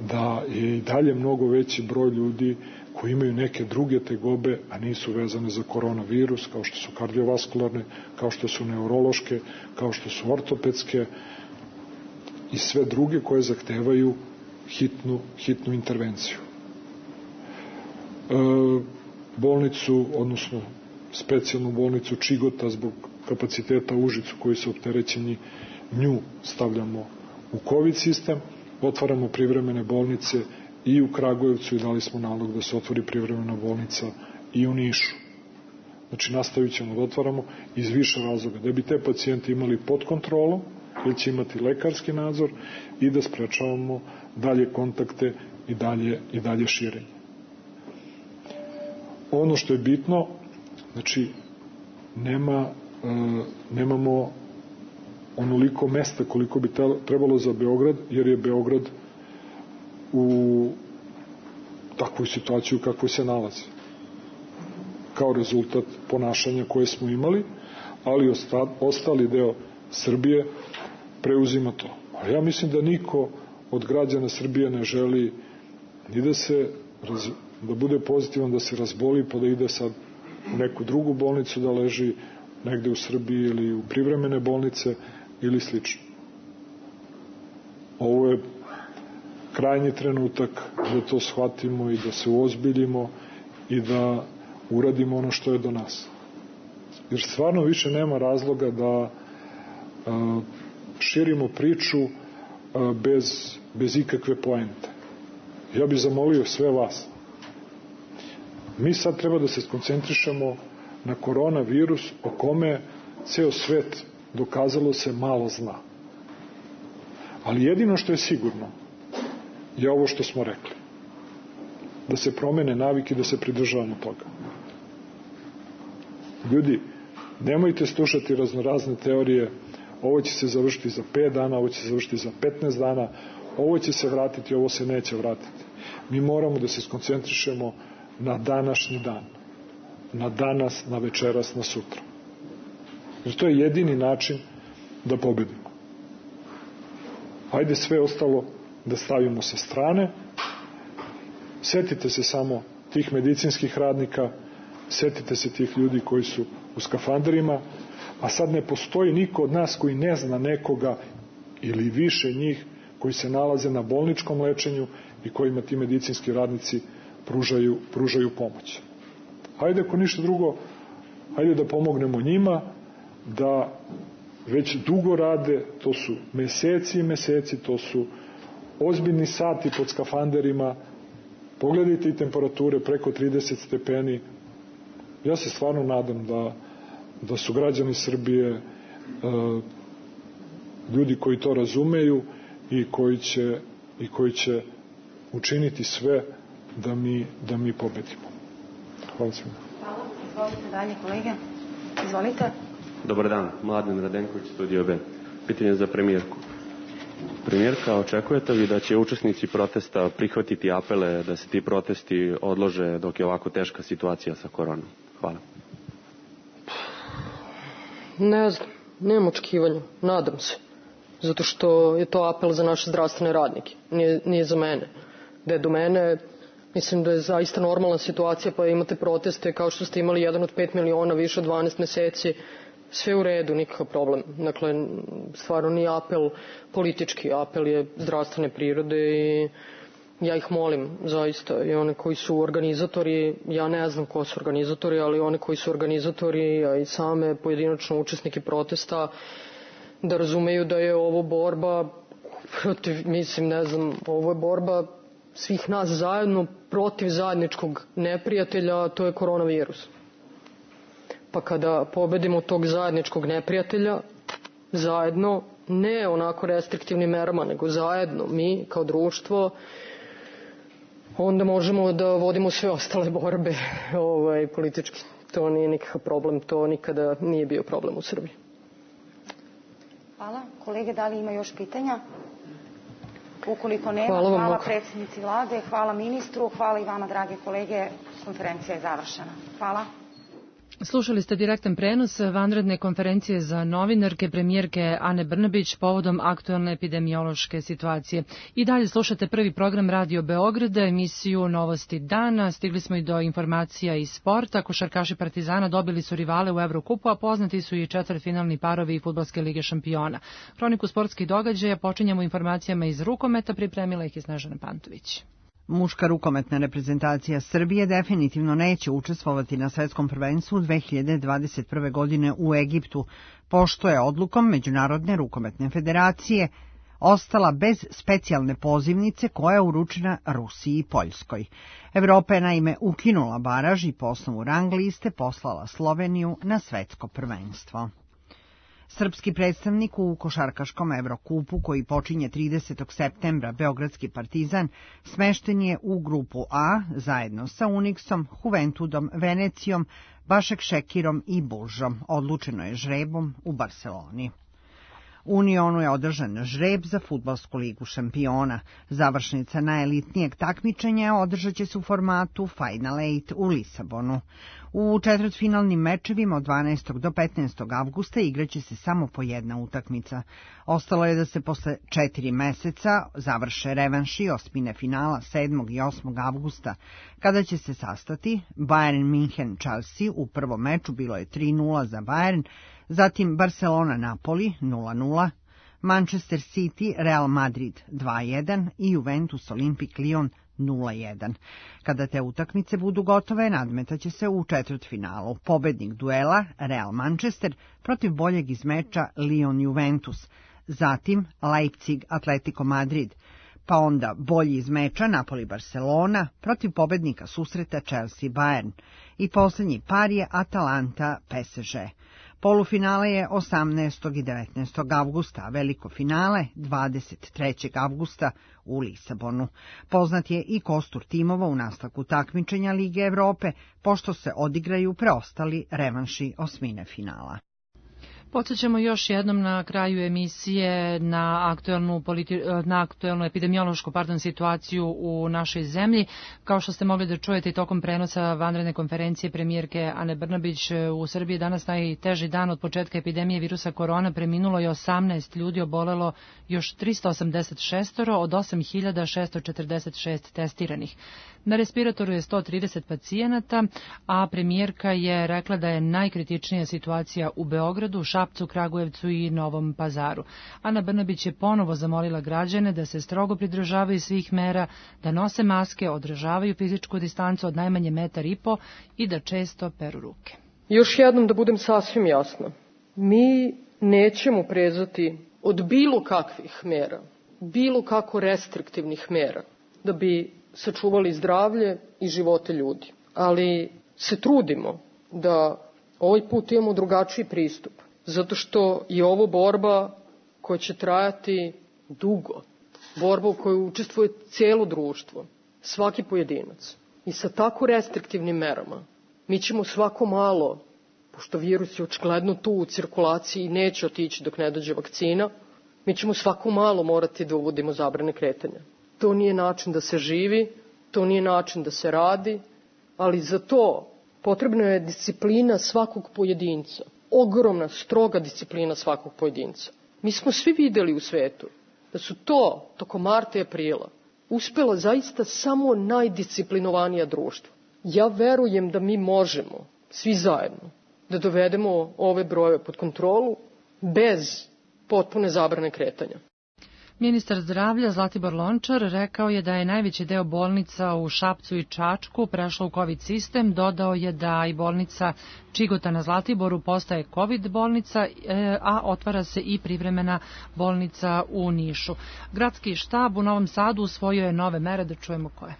Speaker 13: da je i dalje mnogo veći broj ljudi koji imaju neke druge tegobe, a nisu vezane za koronavirus, kao što su kardiovaskularne, kao što su neurološke, kao što su ortopedske i sve druge koje zahtevaju hitnu, hitnu intervenciju. E, bolnicu, odnosno specijalnu bolnicu Čigota zbog kapaciteta u Užicu koji su opterećeni, nju stavljamo u COVID sistem, otvaramo privremene bolnice i u Kragujevcu i dali smo nalog da se otvori privremena bolnica i u Nišu. Znači nastavit ćemo da otvaramo iz više razloga, da bi te pacijenti imali pod kontrolom, jer će imati lekarski nadzor i da sprečavamo dalje kontakte i dalje, i dalje širenje. Ono što je bitno, znači nema, e, nemamo onoliko mesta koliko bi trebalo za Beograd, jer je Beograd u takvoj situaciji u kakvoj se nalazi. Kao rezultat ponašanja koje smo imali, ali ostali deo Srbije preuzima to. Ali ja mislim da niko od građana Srbije ne želi ni da se da bude pozitivan, da se razboli pa da ide sad u neku drugu bolnicu da leži negde u Srbiji ili u privremene bolnice ili slično. Ovo je krajnji trenutak da to shvatimo i da se uozbiljimo i da uradimo ono što je do nas. Jer stvarno više nema razloga da a, širimo priču a, bez, bez ikakve poente. Ja bih zamolio sve vas. Mi sad treba da se skoncentrišemo na koronavirus o kome ceo svet dokazalo se malo zna. Ali jedino što je sigurno je ovo što smo rekli. Da se promene navike, da se pridržavamo toga. Ljudi, nemojte slušati raznorazne teorije, ovo će se završiti za pet dana, ovo će se završiti za petnaest dana, ovo će se vratiti, ovo se neće vratiti. Mi moramo da se skoncentrišemo na današnji dan. Na danas, na večeras, na sutra. Jer to je jedini način da pobedimo. Hajde sve ostalo da stavimo sa strane. Setite se samo tih medicinskih radnika, setite se tih ljudi koji su u skafanderima, a sad ne postoji niko od nas koji ne zna nekoga ili više njih koji se nalaze na bolničkom lečenju i kojima ti medicinski radnici pružaju, pružaju pomoć. Hajde ako ništa drugo, hajde da pomognemo njima, da već dugo rade, to su meseci i meseci, to su ozbiljni sati pod skafanderima, pogledajte i temperature preko trideset stepeni. Ja se stvarno nadam da, da su građani Srbije e, ljudi koji to razumeju i koji će, i koji će učiniti sve da mi, da mi pobedimo. Hvala svima.
Speaker 5: Hvala. Izvolite dalje, kolege. Izvolite.
Speaker 8: Dobar dan, Mladen Radenković, Studio B. Pitanje za premijerku. Premijerka, očekujete li da će učesnici protesta prihvatiti apele da se ti protesti odlože dok je ovako teška situacija sa koronom? Hvala.
Speaker 23: Ne znam, nemam očekivanja, nadam se. Zato što je to apel za naše zdravstvene radnike, nije, nije za mene. Da je do mene, mislim da je zaista normalna situacija, pa imate proteste kao što ste imali jedan od pet miliona, više od dvanaest meseci, sve u redu, nikakav problem. Dakle, stvarno nije apel politički, apel je zdravstvene prirode i ja ih molim, zaista, i one koji su organizatori, ja ne znam ko su organizatori, ali one koji su organizatori, a i same pojedinačno učesnike protesta, da razumeju da je ovo borba protiv, mislim, ne znam, ovo je borba svih nas zajedno protiv zajedničkog neprijatelja, a to je koronavirus. Pa kada pobedimo tog zajedničkog neprijatelja, zajedno, ne onako restriktivnim merama, nego zajedno, mi kao društvo, onda možemo da vodimo sve ostale borbe ovaj, politički. To nije nikakav problem, to nikada nije bio problem u Srbiji.
Speaker 5: Hvala. Kolege, da li ima još pitanja? Ukoliko nema,
Speaker 23: hvala,
Speaker 5: hvala predsjednici vlade, hvala ministru, hvala i vama, drage kolege. Konferencija je završena. Hvala.
Speaker 2: Slušali ste direktan prenos vanredne konferencije za novinarke premijerke Ane Brnabić povodom aktuelne epidemiološke situacije. I dalje slušate prvi program Radio Beograda, emisiju Novosti dana. Stigli smo i do informacija iz sporta. Košarkaši Partizana dobili su rivale u Evrokupu, a poznati su i četvrtfinalni parovi Fudbalske lige šampiona. Hroniku sportskih događaja počinjemo informacijama iz rukometa, pripremila ih je Snežana Pantović.
Speaker 9: Muška rukometna reprezentacija Srbije definitivno neće učestvovati na svetskom prvenstvu dve hiljade dvadeset prve. godine u Egiptu, pošto je odlukom Međunarodne rukometne federacije ostala bez specijalne pozivnice koja je uručena Rusiji i Poljskoj. Evropa je naime ukinula baraž i po osnovu rang liste poslala Sloveniju na svetsko prvenstvo. Srpski predstavnik u košarkaškom Evrokupu, koji počinje tridesetog septembra, Beogradski Partizan, smešten je u grupu A zajedno sa Uniksom, Juventudom, Venecijom, Bašak Šekirom i Bulžom. Odlučeno je žrebom u Barseloni. U Unionu je održan žreb za Fudbalsku ligu šampiona. Završnica najelitnijeg takmičenja održat će se u formatu Final Eight u Lisabonu. U četvrtfinalnim mečevima od dvanaestog do petnaestog avgusta igraće se samo po jedna utakmica. Ostalo je da se posle četiri meseca završe revanši osmine finala sedmog i osmog avgusta, kada će se sastati Bayern München Chelsea. U prvom meču bilo je tri nula za Bayern, zatim Barcelona Napoli nula nula, Manchester City Real Madrid dva jedan i Juventus Olympique Lyon nula jedan. Kada te utakmice budu gotove, nadmetaće se u četvrtfinalu. Pobednik duela Real Manchester protiv boljeg iz meča Lyon Juventus, zatim Leipzig Atletico Madrid, pa onda bolji iz meča Napoli Barcelona protiv pobednika susreta Chelsea Bayern i posljednji par je Atalanta P S G. Polufinale je osamnaestog i devetnaestog avgusta, a veliko finale dvadeset trećeg avgusta u Lisabonu. Poznat je i kostur timova u nastavku takmičenja Lige Evrope, pošto se odigraju preostali revanši osmine finala.
Speaker 2: Podsjećamo još jednom na kraju emisije na aktuelnu, politi- na aktuelnu epidemiološku pardon, situaciju u našoj zemlji. Kao što ste mogli da čujete i tokom prenosa vanredne konferencije premijerke Ane Brnabić, u Srbiji danas najteži dan od početka epidemije virusa korona, preminulo je osamnaest ljudi, obolelo još tristo osamdeset šest od osam hiljada šesto četrdeset šest testiranih. Na respiratoru je sto trideset pacijenata, a premijerka je rekla da je najkritičnija situacija u Beogradu, Šapcu, Kragujevcu i Novom Pazaru. Ana Brnabić je ponovo zamolila građane da se strogo pridržavaju svih mera, da nose maske, održavaju fizičku distancu od najmanje metar i po i da često peru ruke.
Speaker 23: Još jednom da budem sasvim jasna, mi nećemo prezati od bilo kakvih mera, bilo kako restriktivnih mera, da bi sačuvali zdravlje i živote ljudi. Ali se trudimo da ovaj put imamo drugačiji pristup, zato što je ovo borba koja će trajati dugo, borba u kojoj učestvuje cijelo društvo, svaki pojedinac. I sa tako restriktivnim merama mi ćemo svako malo, pošto virus je očigledno tu u cirkulaciji i neće otići dok ne dođe vakcina, mi ćemo svako malo morati da uvodimo zabrane kretanja. To nije način da se živi, to nije način da se radi, ali za to potrebna je disciplina svakog pojedinca. Ogromna, stroga disciplina svakog pojedinca. Mi smo svi videli u svetu da su to, tokom marta i aprila, uspela zaista samo najdisciplinovanija društva. Ja verujem da mi možemo, svi zajedno, da dovedemo ove brojeve pod kontrolu bez potpune zabrane kretanja.
Speaker 2: Ministar zdravlja Zlatibor Lončar rekao je da je najveći deo bolnica u Šapcu i Čačku prešlo u COVID sistem. Dodao je da i bolnica Čigota na Zlatiboru postaje COVID bolnica, a otvara se i privremena bolnica u Nišu. Gradski štab u Novom Sadu usvojio je nove mere, da čujemo koje.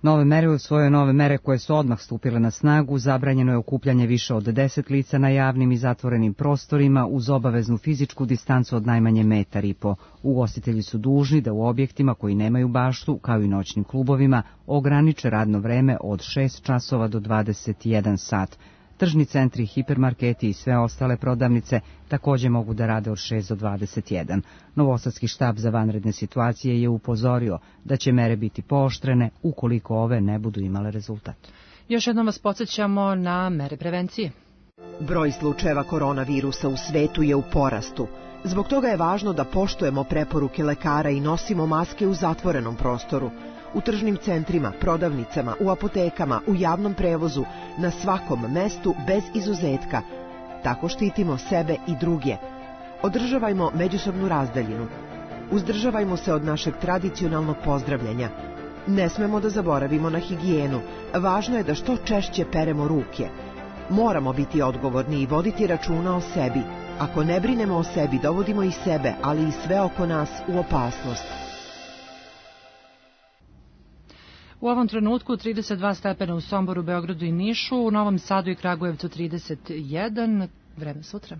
Speaker 1: Nove mere usvojio nove mere koje su odmah stupile na snagu. Zabranjeno je okupljanje više od deset lica na javnim i zatvorenim prostorima uz obaveznu fizičku distancu od najmanje metar i po. Ugostitelji su dužni da u objektima koji nemaju baštu, kao i noćnim klubovima, ograniče radno vreme od šest časova do dvadeset jedan sat. Tržni centri, hipermarketi i sve ostale prodavnice također mogu da rade od šest do dvadeset jedan. Novosadski štab za vanredne situacije je upozorio da će mere biti pooštrene ukoliko ove ne budu imale rezultat.
Speaker 2: Još jednom vas podsjećamo na mere prevencije.
Speaker 3: Broj slučajeva koronavirusa u svetu je u porastu. Zbog toga je važno da poštujemo preporuke lekara i nosimo maske u zatvorenom prostoru. U tržnim centrima, prodavnicama, u apotekama, u javnom prevozu, na svakom mestu bez izuzetka. Tako štitimo sebe i druge. Održavajmo međusobnu razdaljinu. Uzdržavajmo se od našeg tradicionalnog pozdravljanja. Ne smemo da zaboravimo na higijenu. Važno je da što češće peremo ruke. Moramo biti odgovorni i voditi računa o sebi. Ako ne brinemo o sebi, dovodimo i sebe, ali i sve oko nas u opasnost.
Speaker 2: U ovom trenutku trideset dva stepena u Somboru, Beogradu i Nišu, u Novom Sadu i Kragujevcu trideset jedan, vreme sutra.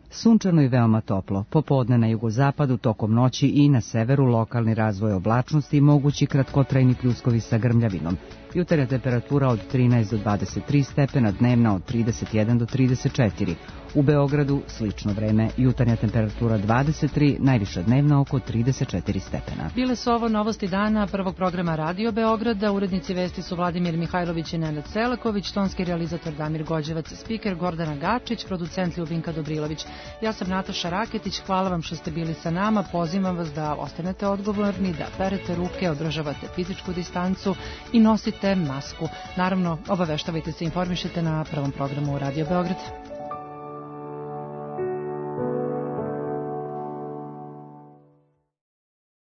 Speaker 1: Sunčano i veoma toplo. Popodne na jugozapadu, tokom noći i na severu lokalni razvoj oblačnosti i mogući kratkotrajni pljuskovi sa grmljavinom. Jutarnja temperatura od trinaest do dvadeset tri stepena, dnevna od trideset jedan do trideset četiri. U Beogradu slično vreme, jutarnja temperatura dvadeset tri, najviša dnevna oko trideset četiri stepena.
Speaker 2: Bile su ovo novosti dana prvog programa Radio Beograda. Urednici vesti su Vladimir Mihajlović i Nenad Selaković, tonski realizator Damir Gođevac, spiker Gordana Gačić, producent Ljubinka Dobrilović. Ja sam Nataša Raketić, hvala vam što ste bili sa nama, pozivam vas da ostanete odgovorni, da perete ruke, održavate fizičku distancu i nosite masku. Naravno, obaveštavajte se, informišite na prvom programu Radio Beograd.